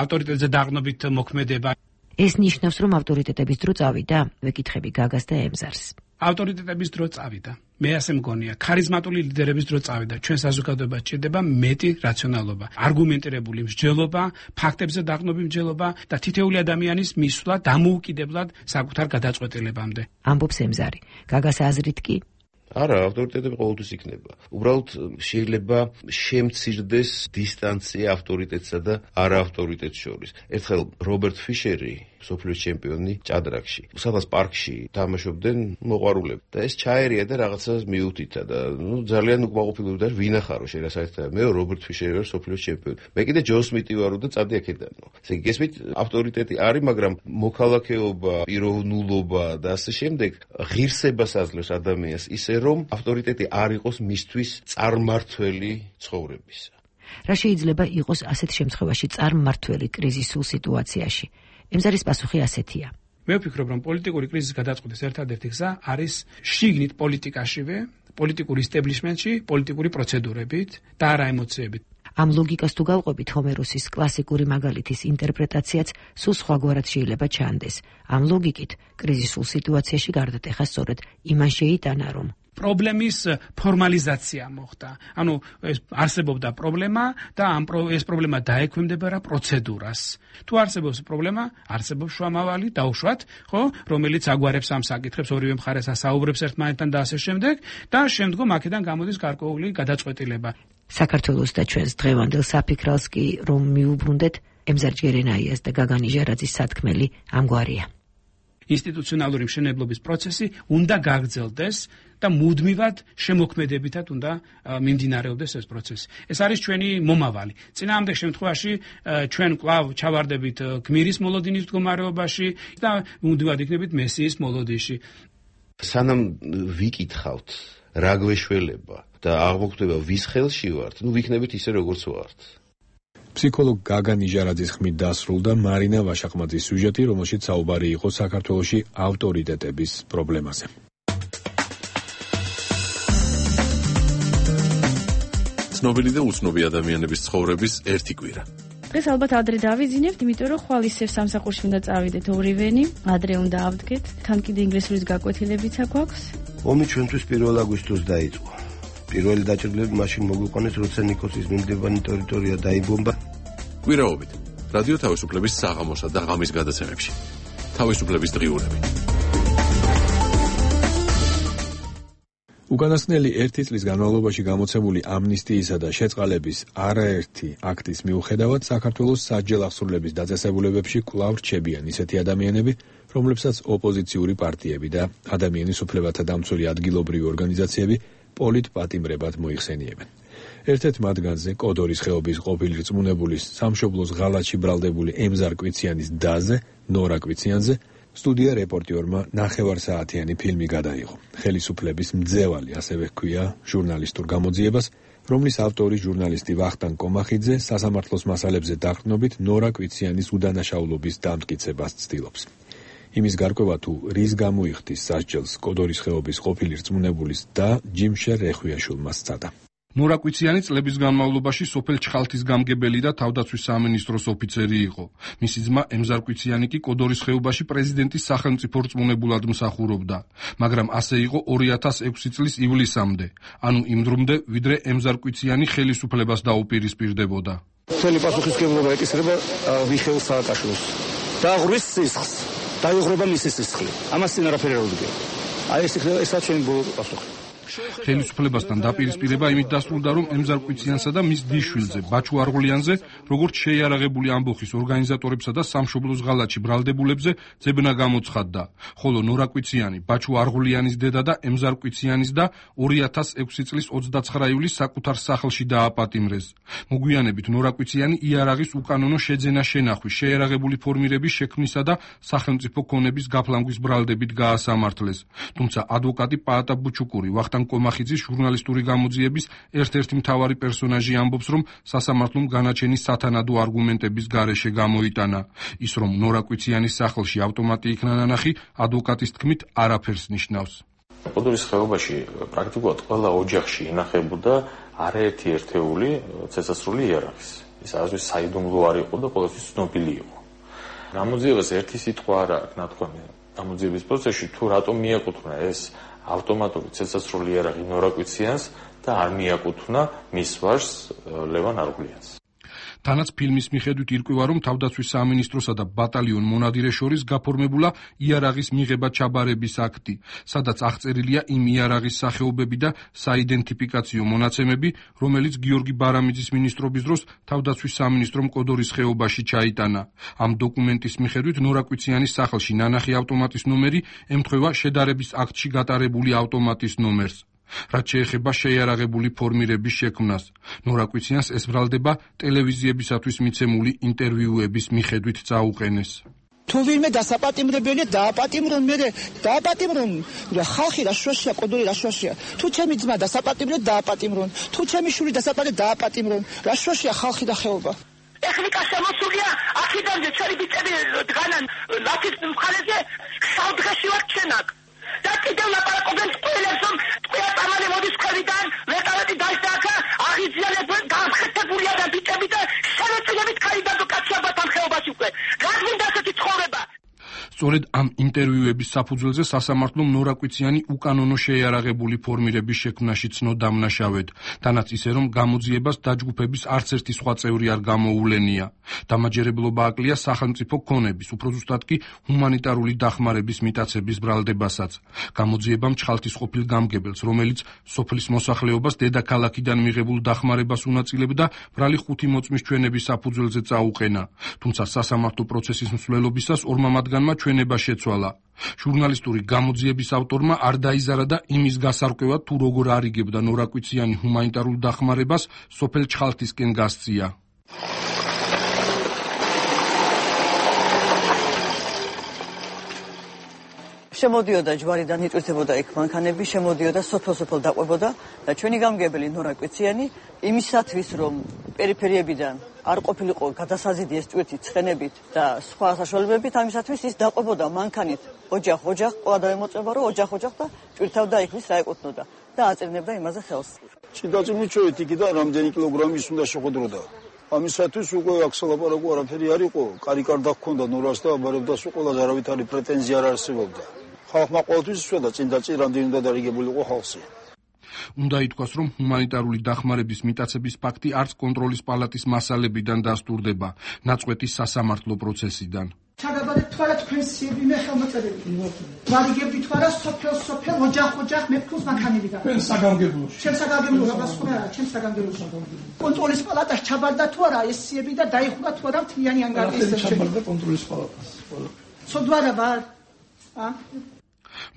ავტორიტეტზე დაყრდნობით მოქმედება. ეს ნიშნავს, რომ ავტორიტეტების დრო წავიდა? ვეკითხები გაგას და ემზარს. ავტორიტეტების დრო წავიდა. მე ასე მგონია, ქარიზმატული ლიდერების დრო წავიდა. ჩვენ საზოგადოებას ჭირდება მეტი რაციონალობა, არგუმენტირებული მსჯელობა, ფაქტებზე დაყრდნობი მსჯელობა და თითოეული ადამიანის მისვლა დამოუკიდებლად საკუთარ გადაწყვეტილებამდე. ამბობს ემზარი. გაგას აზრით კი არა, ავტორიტეტები ყოველთვის იქნება. უბრალოდ შეიძლება შემცირდეს დისტანცია ავტორიტეტსა და არაავტორიტეტს შორის. ერთხელ რობერტ ფიშერი სოფლიოს ჩემპიონი ჭადრაკში. სადაც პარკში თამაშობდნენ მოყვარულები და ეს ჩაერია და რაღაცას მიუთითა და ძალიან უკმაყოფილებდა ვინ ახარო შეიძლება საერთოდ მე რობერტ ფიშერი ვარ სოფლიოს ჩემპიონი. მე კიდე ჯო სმიტი ვარო და წადი აქედან. ესე იგი გესმით ავტორიტეტი არის, მაგრამ მოქალაქეობა, პიროვნულობა და ასე შემდეგ ღირსებას აძლევს ადამიანს ისე რომ ავტორიტეტი არ იყოს მისთვის წარმმართველი ცხოვრებისა. რა შეიძლება იყოს ასეთ შემთხვევაში წარმმართველი კრიზისულ სიტუაციაში? ემზარის პასუხი ასეთია. მე ვფიქრობ, რომ პოლიტიკური კრიზისის გადაწყვეტის ერთადერთი გზა არის შიგნით პოლიტიკაშივე, პოლიტიკურ ისტაბლიშმენტში, პოლიტიკური პროცედურებით და არა ემოციებით. ამ ლოგიკას თუ გავყვებით, ჰომეროსის კლასიკური მაგალითის ინტერპრეტაციაც სულ სხვაგვარად შეიძლება ჩანდეს. ამ ლოგიკით კრიზისულ სიტუაციაში გარდატეხა სწორედ იმან შეიტანა, რომ პრობლემის ფორმალიზაცია მოხდა. ანუ არსებობდა პრობლემა და ეს პრობლემა დაექვემდებარა პროცედურას. თუ არსებობს პრობლემა, არსებობს შუამავალი, დაუშვათ, ხო, რომელიც აგვარებს ამ საკითხებს, ორივე მხარეს ასაუბრებს ერთმანეთთან და ასე შემდეგ და შემდგომ აქედან გამოდის გარკვეული გადაწყვეტილება. საქართველოს და ჩვენს დღევანდელ საფიქრალს კი რომ მიუბრუნდეთ, ემზარ ჯერენაიას და გაგანი ჟარაძის სათქმელი ამგვარია. ინსტიტუციონალური მშენებლობის პროცესი უნდა გაგრძელდეს და მუდმივად შემოქმედებითად უნდა მიმდინარეობდეს ეს პროცესი. ეს არის ჩვენი მომავალი. წინააღმდეგ შემთხვევაში ჩვენ კვლავ ჩავარდებით გმირის მოლოდინის მდგომარეობაში და მუდმივად იქნებით მესიის მოლოდინში. სანამ ვიკითხავთ რა გვეშველება და აღმოჩნდება ვის ხელში ვართ, ვიქნებით ისე როგორც ვართ. ფსიქოლოგ გაგანი ჟარაძის ხმით დასრულდა მარინა ვაშაყმაძის სიუჟეტი, რომელშიც საუბარი იყო საქართველოში ავტორიტეტების პრობლემაზე. ცნობილი და უცნობი ადამიანების ცხოვრების ერთი კვირა. დღეს ალბათ ადრე დავიძინებთ, იმიტომ რომ ხვალ ისევ სამსახურში უნდა წავიდეთ ორივენი, ადრე უნდა ავდგეთ, თან კიდე ინგლისურის გაკვეთილებიც აქვს. ომი ჩვენთვის 1 აგვისტოს დაიწყო. პირველი დაჭრილები მაშინ მოგვიყვანეს, როცა ნიკოსის მიმდებარე ტერიტორია დაიბომბა. კვირაობით რადიო თავისუფლების საღამოსა და ღამის გადაცემებში. თავისუფლების დღიურები. უკანასკნელი 1 წლის განმავლობაში გამოცემული ამნისტიისა და შეწყალების არაერთი აქტის მიუხედავად საქართველოს სასჯელ აღსრულების დაწესებულებებში კვლავ რჩებიან ისეთი ადამიანები, რომლებსაც ოპოზიციური პარტიები და ადამიანის უფლებათა დამცველი ადგილობრივი ორგანიზაციები პოლიტპატიმრებად მოიხსენიებენ. ერთ-ერთ მათგანზე კოდორის ხეობის ყოფილი რწმუნებულის სამშობლოს ღალატში ბრალდებული ემზარ კვიციანის დაზე, ნორა კვიციანზე, სტუდია რეპორტიორმა ნახევარსაათიანი ფილმი გადაიღო. ხელისუფლების მძევალი, ასევე ჰქვია ჟურნალისტურ გამოძიებას, რომლის ავტორი ჟურნალისტი ვახტანგ კომახიძე სასამართლოს მასალებზე დაყრდნობით ნორა კვიციანის უდანაშაულობის დამტკიცებას ცდილობს. იმის გარკვევა თუ რის გამოიხდის სასჯელს კოდორის ხეობის ყოფილი რწმუნებულის და ჯიმშერ რეხვიაშვილმა სცადა. ნორა კვიციანი წლების განმავლობაში სოფელ ჩხალთის გამგებელი და თავდაცვის სამინისტროს ოფიცერი იყო. მისი ძმა ემზარ კვიციანი კი კოდორის ხეობაში პრეზიდენტის სახელმწიფო რწმუნებულად მსახურობდა, მაგრამ ასე იყო 2006 წლის ივლისამდე, ანუ იმ დრომდე, ვიდრე ემზარ კვიციანი ხელისუფლებას დაუპირისპირდებოდა. მთელი პასუხისმგებლობა ეკისრება მიხეილ სააკაშვილს. დააღურის სისხლს, დაიღრება მისი სისხლი. ამას წინ არაფერი არ უდგება. აი ესაც ჩვენი ბოლო პასუხი. ხელისუფლებასთან დაპირისპირება იმით დასრულდა, რომ ემზარ კვიციანსა და მის დიშვილზე, ბაჩუ არღულიანზე, როგორც შეიარაღებული ამბოხის ორგანიზატორებსა და სამშობლოს ღალატში ბრალდებულებზე ძებნა გამოცხადდა, ხოლო ნორა კვიციანი, ბაჩუ არღულიანის დედა და ემზარ კვიციანის და 2006 წლის 29 ივლისს საკუთარ სახლში დააპატიმრეს. მოგვიანებით ნორა კვიციანი იარაღის უკანონო შეძენა-შენახვის, შეიარაღებული ფორმირების შექმნისა და სახელმწიფო ქონების გაფლანგვის ბრალდებით გაასამართლეს. თუმცა ადვოკატი პაატა ბუჩუკური ვახტანგ კომახიძის ჟურნალისტური გამოძიების ერთ-ერთი მთავარი პერსონაჟი ამბობს, რომ სასამართლომ განაჩენის სათანადო არგუმენტების გარეშე გამოიტანა. ის რომ ნორა კვიციანის სახლში ავტომატი იქნა ნანახი, ადვოკატის თქმით არაფერს ნიშნავს. კოდორის ხეობაში პრაქტიკულად ყველა ოჯახში ინახებოდა არაერთი ერთეული ცეცხლსრული იარაღის. ეს არასდროს საიდუმლო არ იყო და ყოველთვის ცნობილი იყო. გამოძიებას ერთი სიტყვა არ აქვს ნათქვამი. გამოძიების პროცესში თუ რატომ მიაკუთვნა ეს ავტომატური ცეცხლსრული იარაღი ნორა კვიციანს და არ მიაკუთვნა მის ვაჟს ლევან არღულიანს. თანაც ფილმის მიხედვით ირკვევა, რომ თავდაცვის სამინისტროსა და ბატალიონ მონადირეს შორის გაფორმებულა იარაღის მიღება ჩაბარების აქტი, სადაც აღწერილია იმ იარაღის სახეობები და საიდენტიფიკაციო მონაცემები, რომელიც გიორგი ბარამიძის მინისტრობის დროს თავდაცვის სამინისტრომ კოდორის ხეობაში ჩაიტანა. ამ დოკუმენტის მიხედვით ნორაკვიციანის სახლში ნანახი ავტომატის ნომერი ემთხვევა შედარების აქტში გატარებული ავტომატის ნომერს. რაც შეეხება შეიარაღებული ფორმირების შექმნას, ნორაკვიციანს ეს ბრალდება ტელევიზიებისათვის მიცემული ინტერვიუების მიხედვით წაუყენეს. თუ ვინმე დასაპატიმრებელია დააპატიმრონ, მე დააპატიმრონ, ხალხი რა შუაშია, კოდორი რა შუაშია. თუ ჩემი ძმა დასაპატიმრეთ დააპატიმრონ, თუ ჩემი შვილი დასაპატიმრეთ დააპატიმრონ, რა შუაშია ხალხი და ხეობა. ტექნიკა შემოსულია აქედანზე ჩვენი ბიჭები დგანან ლათის მხარეზე შავდღეში ვარ ჩენაკ და კიდევ ლაპარაკობენ წყვილებს რომ წყვილა წამალი მოდის ქვევიდან ვერტავეთი დაისდააქა აღიძიალებენ გამხეთებულია და ბიჭები და შემოწილებით კაიდან და კაცებად ამ ხეობაში უკვე გაგვინდა ასეთი ცხოვრება. სწორედ ამ ინტერვიუების საფუძველზე სასამართლომ ნორაკვიციანი უკანონო შეიარაღებული ფორმირების შექმნაში ცნო დამნაშავედ, თანაც ისე რომ გამოძიებას დაჯგუფების არც ერთი სხვა წევრი არ გამოუვლენია. დამაჯერებლობა აკლია სახელმწიფო ქონების, უფრო ზუსტად კი ჰუმანიტარული დახმარების მიტაცების ბრალდებასაც. გამოძიებამ ჩხალთის ყოფილ გამგებელს, რომელიც სოფლის მოსახლეობას დედაქალაქიდან მიღებულ დახმარებას უნაწილებდა, ბრალი 5 მოწმის ჩვენების საფუძველზე წაუყენა. თუმცა სასამართლო პროცესის მსვლელობისას ორმა მათგანმა ჩვენება შეცვალა. ჟურნალისტური გამოძიების ავტორმა არ დაიზარა და იმის გასარკვევად თუ როგორ არიგებდა ნორაკვიციანი ჰუმანიტარულ დახმარებას სოფელ ჩხალთისკენ გასწია. შემოდიოდა ჯვარიდან იწვეთებოდა იქ მანქანები, შემოდიოდა სოფელ-სოფელ დაყვებოდა და ჩვენი გამგებელი ნორაკვიციანი იმისათვის რომ პერიფერიებიდან არ ყოფილიყო გადასაზიდი ეს წვეთი ცხენებით და სხვა საშუალებებით, ამისათვის ის დაყვებოდა მანქანით ოჯახ ყოლა დაემოწება რომ ოჯახ და ჭირთავდა იქ ვის რა ეკუთვნოდა და აწირნებდა იმაზე ხელს. ჭიდაწინი ჩვენით იქიდან რამდენი კილოგრამი ის უნდა შეყოდროდა. ამისათვის უკვე აქ სალაპარაკო არაფერი არ იყო, კარიკარდა ჰქონდა ნორას და აბარებდა სულ ყველა არავითარი პრეტენზია არ არსებობდა. ხალხმა ყოველთვის იცოდა წინ და წინ რამდენი უნდა დარიგებულიყო ხალხი. უნდა ითქვას, რომ ჰუმანიტარული დახმარების მიტაცების ფაქტი არც კონტროლის პალატის მასალებიდან დასტურდება, ნაწყვეტის სასამართლო პროცესიდან. ჩაგაბადეთ თვალა თქვენსიები მე ხელმოწერები. ვარიგებდი თვალა სოფელ ოჯახ მე ფულს მანქანებიდან. ჩვენ საგამგებლოში. ჩემ საგამგებლოში გასხმარა, ჩემ საგამგებლოში. კონტროლის პალატას ჩაბარდა თუ არა ეს სიები და დაიხურა თუ არა მთლიანი ანგარიში. ჩაბარდა კონტროლის პალატას. სოდვარა ვარ.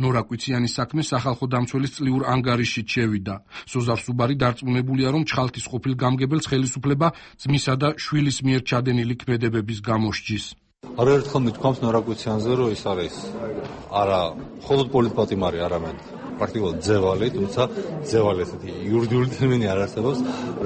ნორაკვიციანის საქმე სახალხო დამცველის წლიურ ანგარიშით შევიდა. სოზარ სუბარი დარწმუნებულია, რომ ჩხალთის ყოფილ გამგებელს ხელისუფლება ძმისა და შვილის მიერ ჩადენილი ქმედებების გამოსჯის. არაერთხელ მithქვამს ნორაკვიციანზე, რომ ის არის არა მხოლოდ პოლიტპატიმარი, არამედ პრაქტიკულად ძევალი, თუმცა ძევალი ესეთი იურიდიული ტერმინი არ არსებობს.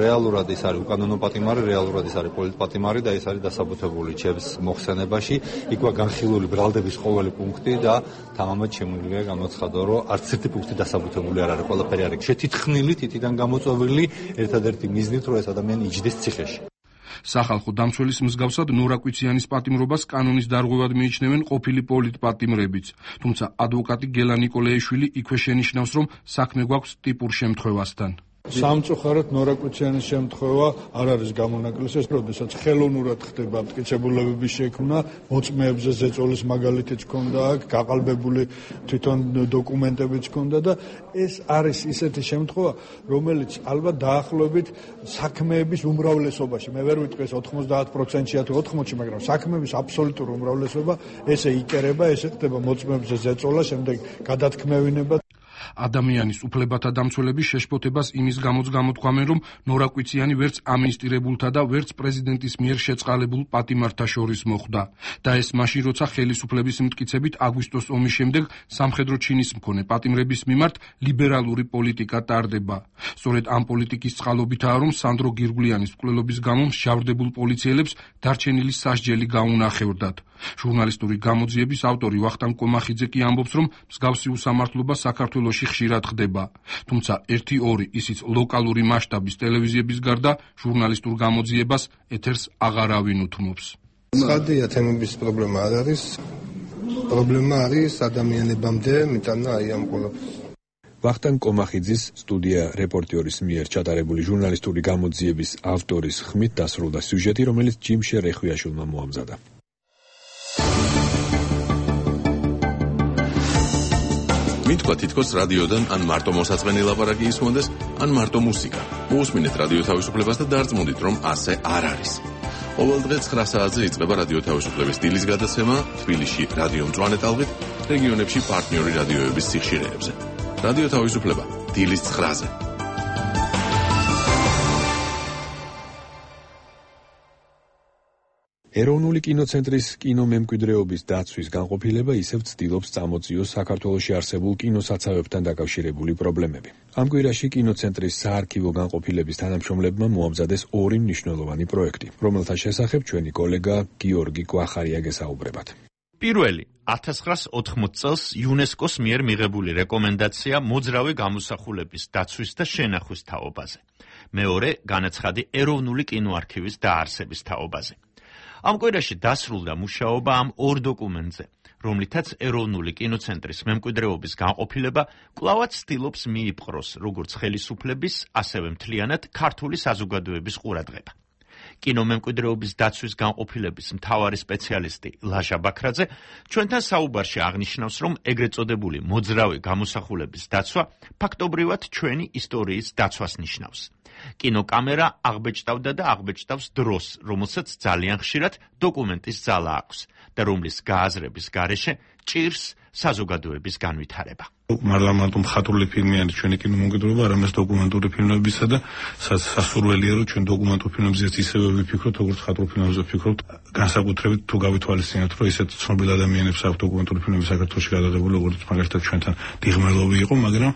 რეალურად ის არის უკანონო პატიმარი, რეალურად ის არის პოლიტპატიმარი და ის არის დასაბუთებული ჩემს მოხსენებაში. იქვა განხილული ბრალდების ყოველი პუნქტი და თამამად შემიძლია გამოცხადო, რომ არც ერთი პუნქტი დასაბუთებული არ არის, ყველაფერი არის შეთითხნილი, თითიდან გამოწვეული, ერთადერთი მიზნით, რომ ეს ადამიანი იჯდეს ციხეში. სახალხო დამცველის მსგავსად ნორაკვიციანის პატიმრობას კანონის დარღვევად მიიჩნევენ ყოფილი პოლიტპატიმრებიც. თუმცა ადვოკატი გელა ნიკოლეიშვილი იქვე შენიშნავს, რომ საქმე გვაქვს ტიპურ შემთხვევასთან. სამწუხაროდ ნორაკვიციანის შემთხვევა არ არის გამონაკლისი, როდესაც ხელოვნურად ხდება მტკიცებულებების შექმნა, მოწმეებზე ზეწოლის მაგალითიც ჰქონდა აქ, გაყალბებული თვითონ დოკუმენტებიც ჰქონდა და ეს არის ისეთი შემთხვევა, რომელიც ალბათ დაახლოებით საქმეების უმრავლესობაში, მე ვერ ვიტყვი ეს 90%-ია თუ 80%, მაგრამ საქმეების აბსოლუტურ უმრავლესობა ესე იკერება, ესე ხდება მოწმეებზე ზეწოლა, შემდეგ გადათქმევინება. ადამიანის უფლებათა დამცველების შეშფოთებას იმის გამოც გამოთქვამენ, რომ ნორაკვიციანი ვერც ამინისტირებულთა და ვერც პრეზიდენტის მიერ შეწყალებულ პატიმართა შორის მოხვდა. და ეს მაშინ, როცა ხელისუფლების მტკიცებით აგვისტოს ომის შემდეგ სამხედრო ჩინის მქონე პატიმრების მიმართ ლიბერალური პოლიტიკა ტარდება. სწორედ ამ პოლიტიკის წყალობითაა, რომ სანდრო გირგვლიანის მკვლელობის გამო მსჯავრდებულ პოლიციელებს დარჩენილი სასჯელი გაუნახევრდათ. ჟურნალისტური გამოძიების ავტორი ვახტანგ კომახიძე კი ამბობს, რომ მსგავსი უსამართლობა საქართველოში ხშირად ხდება. თუმცა 1-2 ისიც ლოკალური მასშტაბის ტელევიზიების გარდა ჟურნალისტურ გამოძიებას ეთერს აღარავინ უთმობს. ცხადია, თემების პრობლემა არ არის. პრობლემა არის ადამიანებამდე მიტანა აი ამ ყველაფერს. ვახტანგ კომახიძის სტუდია რეპორტიორის მიერ ჩატარებული ჟურნალისტური გამოძიების ავტორის ხმით დასრულდა სიუჟეტი, რომელიც ჯიმ შერეხვიაშვილმა მოამზადა. მითქვა თითქოს რადიოდან ან მარტო მოსაწყენი ლაპარაკი ისმონდეს, ან მარტო მუსიკა. მოусმინეთ რადიო თავისუფლებას და დარწმუნდით, რომ ასე არ არის. ყოველ დღე 9 საათზე იწყება რადიო თავისუფლების დილის გადაცემა თბილისში რადიო მწვანე ტალღით, რეგიონებში პარტნიორი რადიოების სიხშირეებზე. რადიო თავისუფლება დილის 9-ზე. ეროვნული კინოცენტრის კინომემკვიდრეობის დაცვის განყოფილება ისევ ცდილობს წამოწიოს საქართველოში არსებულ კინოსაცავებთან დაკავშირებული პრობლემები. ამ კვირაში კინოცენტრის საარქივო განყოფილების თანამშრომლებმა მოამზადეს 2 მნიშვნელოვანი პროექტი, რომელთა შესახებ ჩვენი კოლეგა გიორგი კვახარია გესაუბრებათ. პირველი 1980 წელს იუნესკოს მიერ მიღებული რეკომენდაცია მოძრავი გამოსახულების დაცვის და შენახვის თაობაზე. მეორე განაცხადი ეროვნული კინოარქივის დაარსების თაობაზე. ამ კვირაში დასრულდა მუშაობა ამ 2 დოკუმენტზე, რომლითაც ეროვნული კინოცენტრის მემკვიდრეობის განყოფილება კვლავაც ცდილობს მიიპყროს როგორც ხელისუფლების, ასევე მთლიანად ქართული საზოგადოების ყურადღება. კინომემკვიდრეობის დაცვის განყოფილების მთავარი სპეციალისტი ლაშა ბაქრაძე ჩვენთან საუბარში აღნიშნავს, რომ ეგრეთ წოდებული მოძრავი გამოსახულების დაცვა ფაქტობრივად ჩვენი ისტორიის დაცვას ნიშნავს. კინოკამერა აღბეჭდავდა და აღბეჭდავს დროს, რომელსაც ძალიან ხშირად დოკუმენტის ძალა აქვს და რომლის გააზრების გარეშე ჭირს საზოგადოების განვითარება. მარტო მხატვრული ფილმიანი ჩვენი კინომემკვიდრეობა, არამედ დოკუმენტური ფილმებისა და სასურველია, რომ ჩვენ დოკუმენტურ ფილმებზეც ისევე ვიფიქროთ, როგორც მხატვრულ ფილმებზე ვფიქრობთ. განსაკუთრებით თუ გავითვალისწინებთ, რომ ისეთ ცნობილ ადამიანებს აქვს დოკუმენტური ფილმები საქართველოში გადაღებული, როგორც მაგალითად ჩვენთან დიღმელოვი იყო, მაგრამ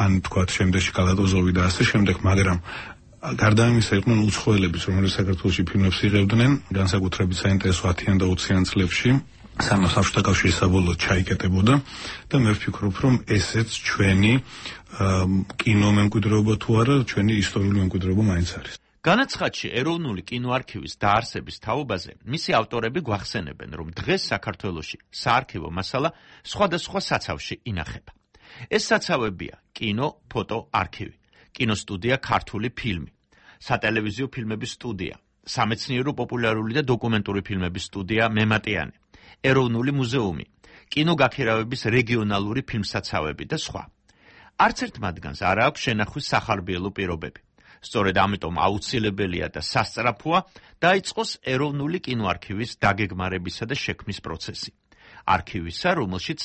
ან თქვათ შემდეგში კალატოზოვი და ასე შემდეგ, მაგრამ გარდა ამისა იყვნენ უცხოელებიც, რომლებიც საქართველოში ფილმებს იღებდნენ, განსაკუთრებით საინტერესო 10-იან და 20-იან წლებში. სანამ საბჭოთა კავშირი საბოლოოდ ჩაიკეტებოდა და მე ვფიქრობ, რომ ესეც ჩვენი კინომემკვიდრეობა თუ არა, ჩვენი ისტორიული მემკვიდრეობა მაინც არის. განაცხადში ეროვნული კინოარქივის დაარსების თაობაზე მისი ავტორები გვახსენებენ, რომ დღეს საქართველოში საარქივო მასალა სხვადასხვა საცავში ინახება. ეს საცავებია კინო, ფოტო არქივი, კინოსტუდია ქართული ფილმი, სატელევიზიო ფილმების სტუდია, სამეცნიერო პოპულარული და დოკუმენტური ფილმების სტუდია მემატიანე, ეროვნული მუზეუმი, კინოგაქირავების რეგიონალური ფილმსაცავები და სხვა. არც ერთ მათგანს არ აქვს შენახვის სახარბიელო პირობები. სწორედ ამიტომ აუცილებელია და სასწრაფოა დაიწყოს ეროვნული კინოარქივის დაგეგმარებისა და შექმნის პროცესი. არქივისა, რომელშიც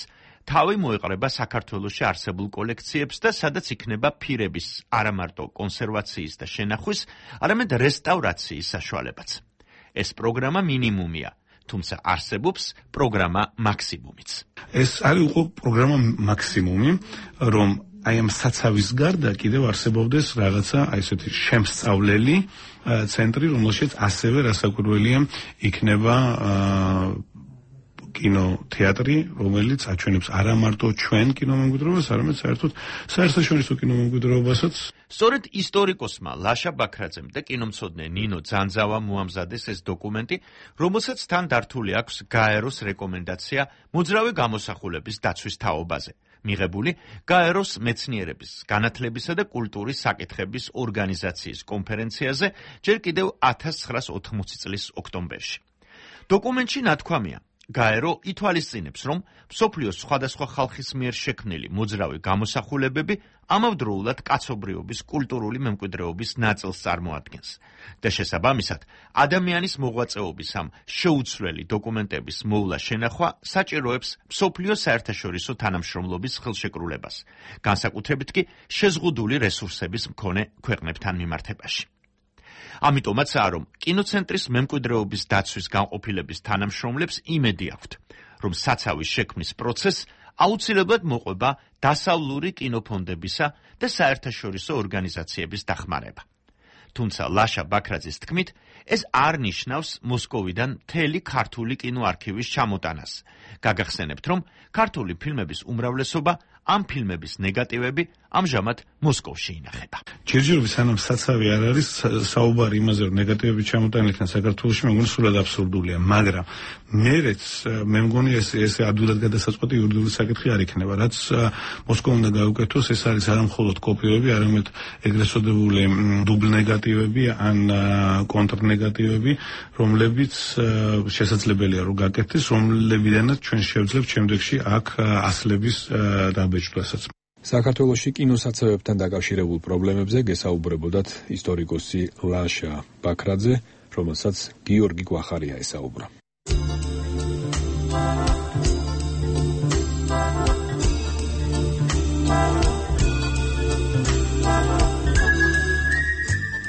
თავი მოეყრება საქართველოში არსებულ კოლექციებს და სადაც იქნება ფირების არამარტო კონსერვაციის და შენახვის, არამედ რესტავრაციის საშუალებაც. ეს პროგრამა მინიმუმია, თუმცა არსებობს პროგრამა მაქსიმუმიც. ეს არის უკვე პროგრამა მაქსიმუმი, რომ აი ამ საცავის გარდა კიდევ არსებობდეს რაღაცა აი ესეთი შემსწავლელი ცენტრი, რომელშიც ასევე რასაკვირველია იქნება კინოთეატრი, რომელიც აჩვენებს არა მარტო ჩვენ კინომემკვიდრეობას, არამედ საერთოდ საერთაშორისო კინომემკვიდრეობასაც. სწორედ ისტორიკოსმა ლაშა ბაქრაძემ და კინომცოდნე ნინო ძანძავამ მოამზადეს ეს დოკუმენტი, რომელსაც თან დართული აქვს გაეროს რეკომენდაცია მოძრავი გამოსახულების დაცვის თაობაზე, მიღებული გაეროს მეცნიერების, განათლებისა და კულტურის საკითხების ორგანიზაციის კონფერენციაზე ჯერ კიდევ 1980 წლის ოქტომბერში. დოკუმენტში ნათქვამია, გაერო ითვალისწინებს, რომ მსოფლიოს სხვადასხვა ხალხის მიერ შექმნილი მოძრავი გამოსახულებები ამავდროულად კაცობრიობის კულტურული მემკვიდრეობის ნაწილს წარმოადგენს და შესაბამისად ადამიანის მოღვაწეობის ამ შეუცვლელი დოკუმენტების მოვლა შენახვა საჭიროებს მსოფლიო საერთაშორისო თანამშრომლობის ხელშეკრულებას, განსაკუთრებით კი შეზღუდული რესურსების მქონე ქვეყნებთან მიმართებაში. ამიტომაცაა, რომ კინოცენტრის მემკვიდრეობის დაცვის განყოფილების თანამშრომლებს იმედი აქვთ, რომ საცავის შექმნის პროცესს აუცილებლად მოყვება დასავლური კინოფონდებისა და საერთაშორისო ორგანიზაციების დახმარება. თუმცა ლაშა ბაქრაძის თქმით, ეს არ ნიშნავს მოსკოვიდან მთელი ქართული კინოარქივის ჩამოტანას. გაგახსენებთ, რომ ქართული ფილმების უმრავლესობა, ამ ფილმების ნეგატივები ამჟამად მოსკოვში ინახება. ჯერჯერობით სანამ საცავი არ არის საუბარი იმაზე, რომ ნეგატივები ჩამოტანილიდან საქართველოში, მე მგონი სულად აბსურდულია, მაგრამ მე მგონი ეს ადვილად გადასაწყვეტი იურიდიული საკითხი არ იქნება, რაც მოსკოვმა უნდა გაუკეთოს, ეს არის არა მხოლოდ კოპიოები, არამედ ეგრეთ წოდებული დუბლ ნეგატივები ან კონტრნეგატივები, რომლებიც შესაძლებელია რომ გაკეთდეს, რომლებიდანაც ჩვენ შევძლებთ შემდეგში აქ ასლების დაბეჭდვასაც. საქართველოში კინოსაცავებთან დაკავშირებულ პრობლემებზე გესაუბრებოდათ ისტორიკოსი ლაშა ბაქრაძე, რომელსაც გიორგი გვახარია ესაუბრა.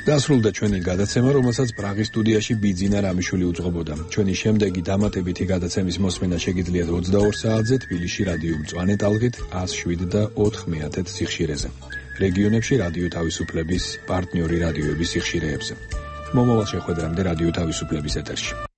დასრულდა ჩვენი გადაცემა, რომელსაც პრაღის სტუდიაში ბიძინა რამიშვილი უძღვებოდა. ჩვენი შემდეგი დამატებითი გადაცემის მოსმენა შეგიძლიათ 22 საათზე თბილისში რადიო მწვანე ტალღით 107 და 4 მეათედ სიხშირეზე. რეგიონებში რადიო თავისუფლების პარტნიორი რადიოების სიხშირეებზე. მომავალ შეხვედრამდე რადიო თავისუფლების ეთერში.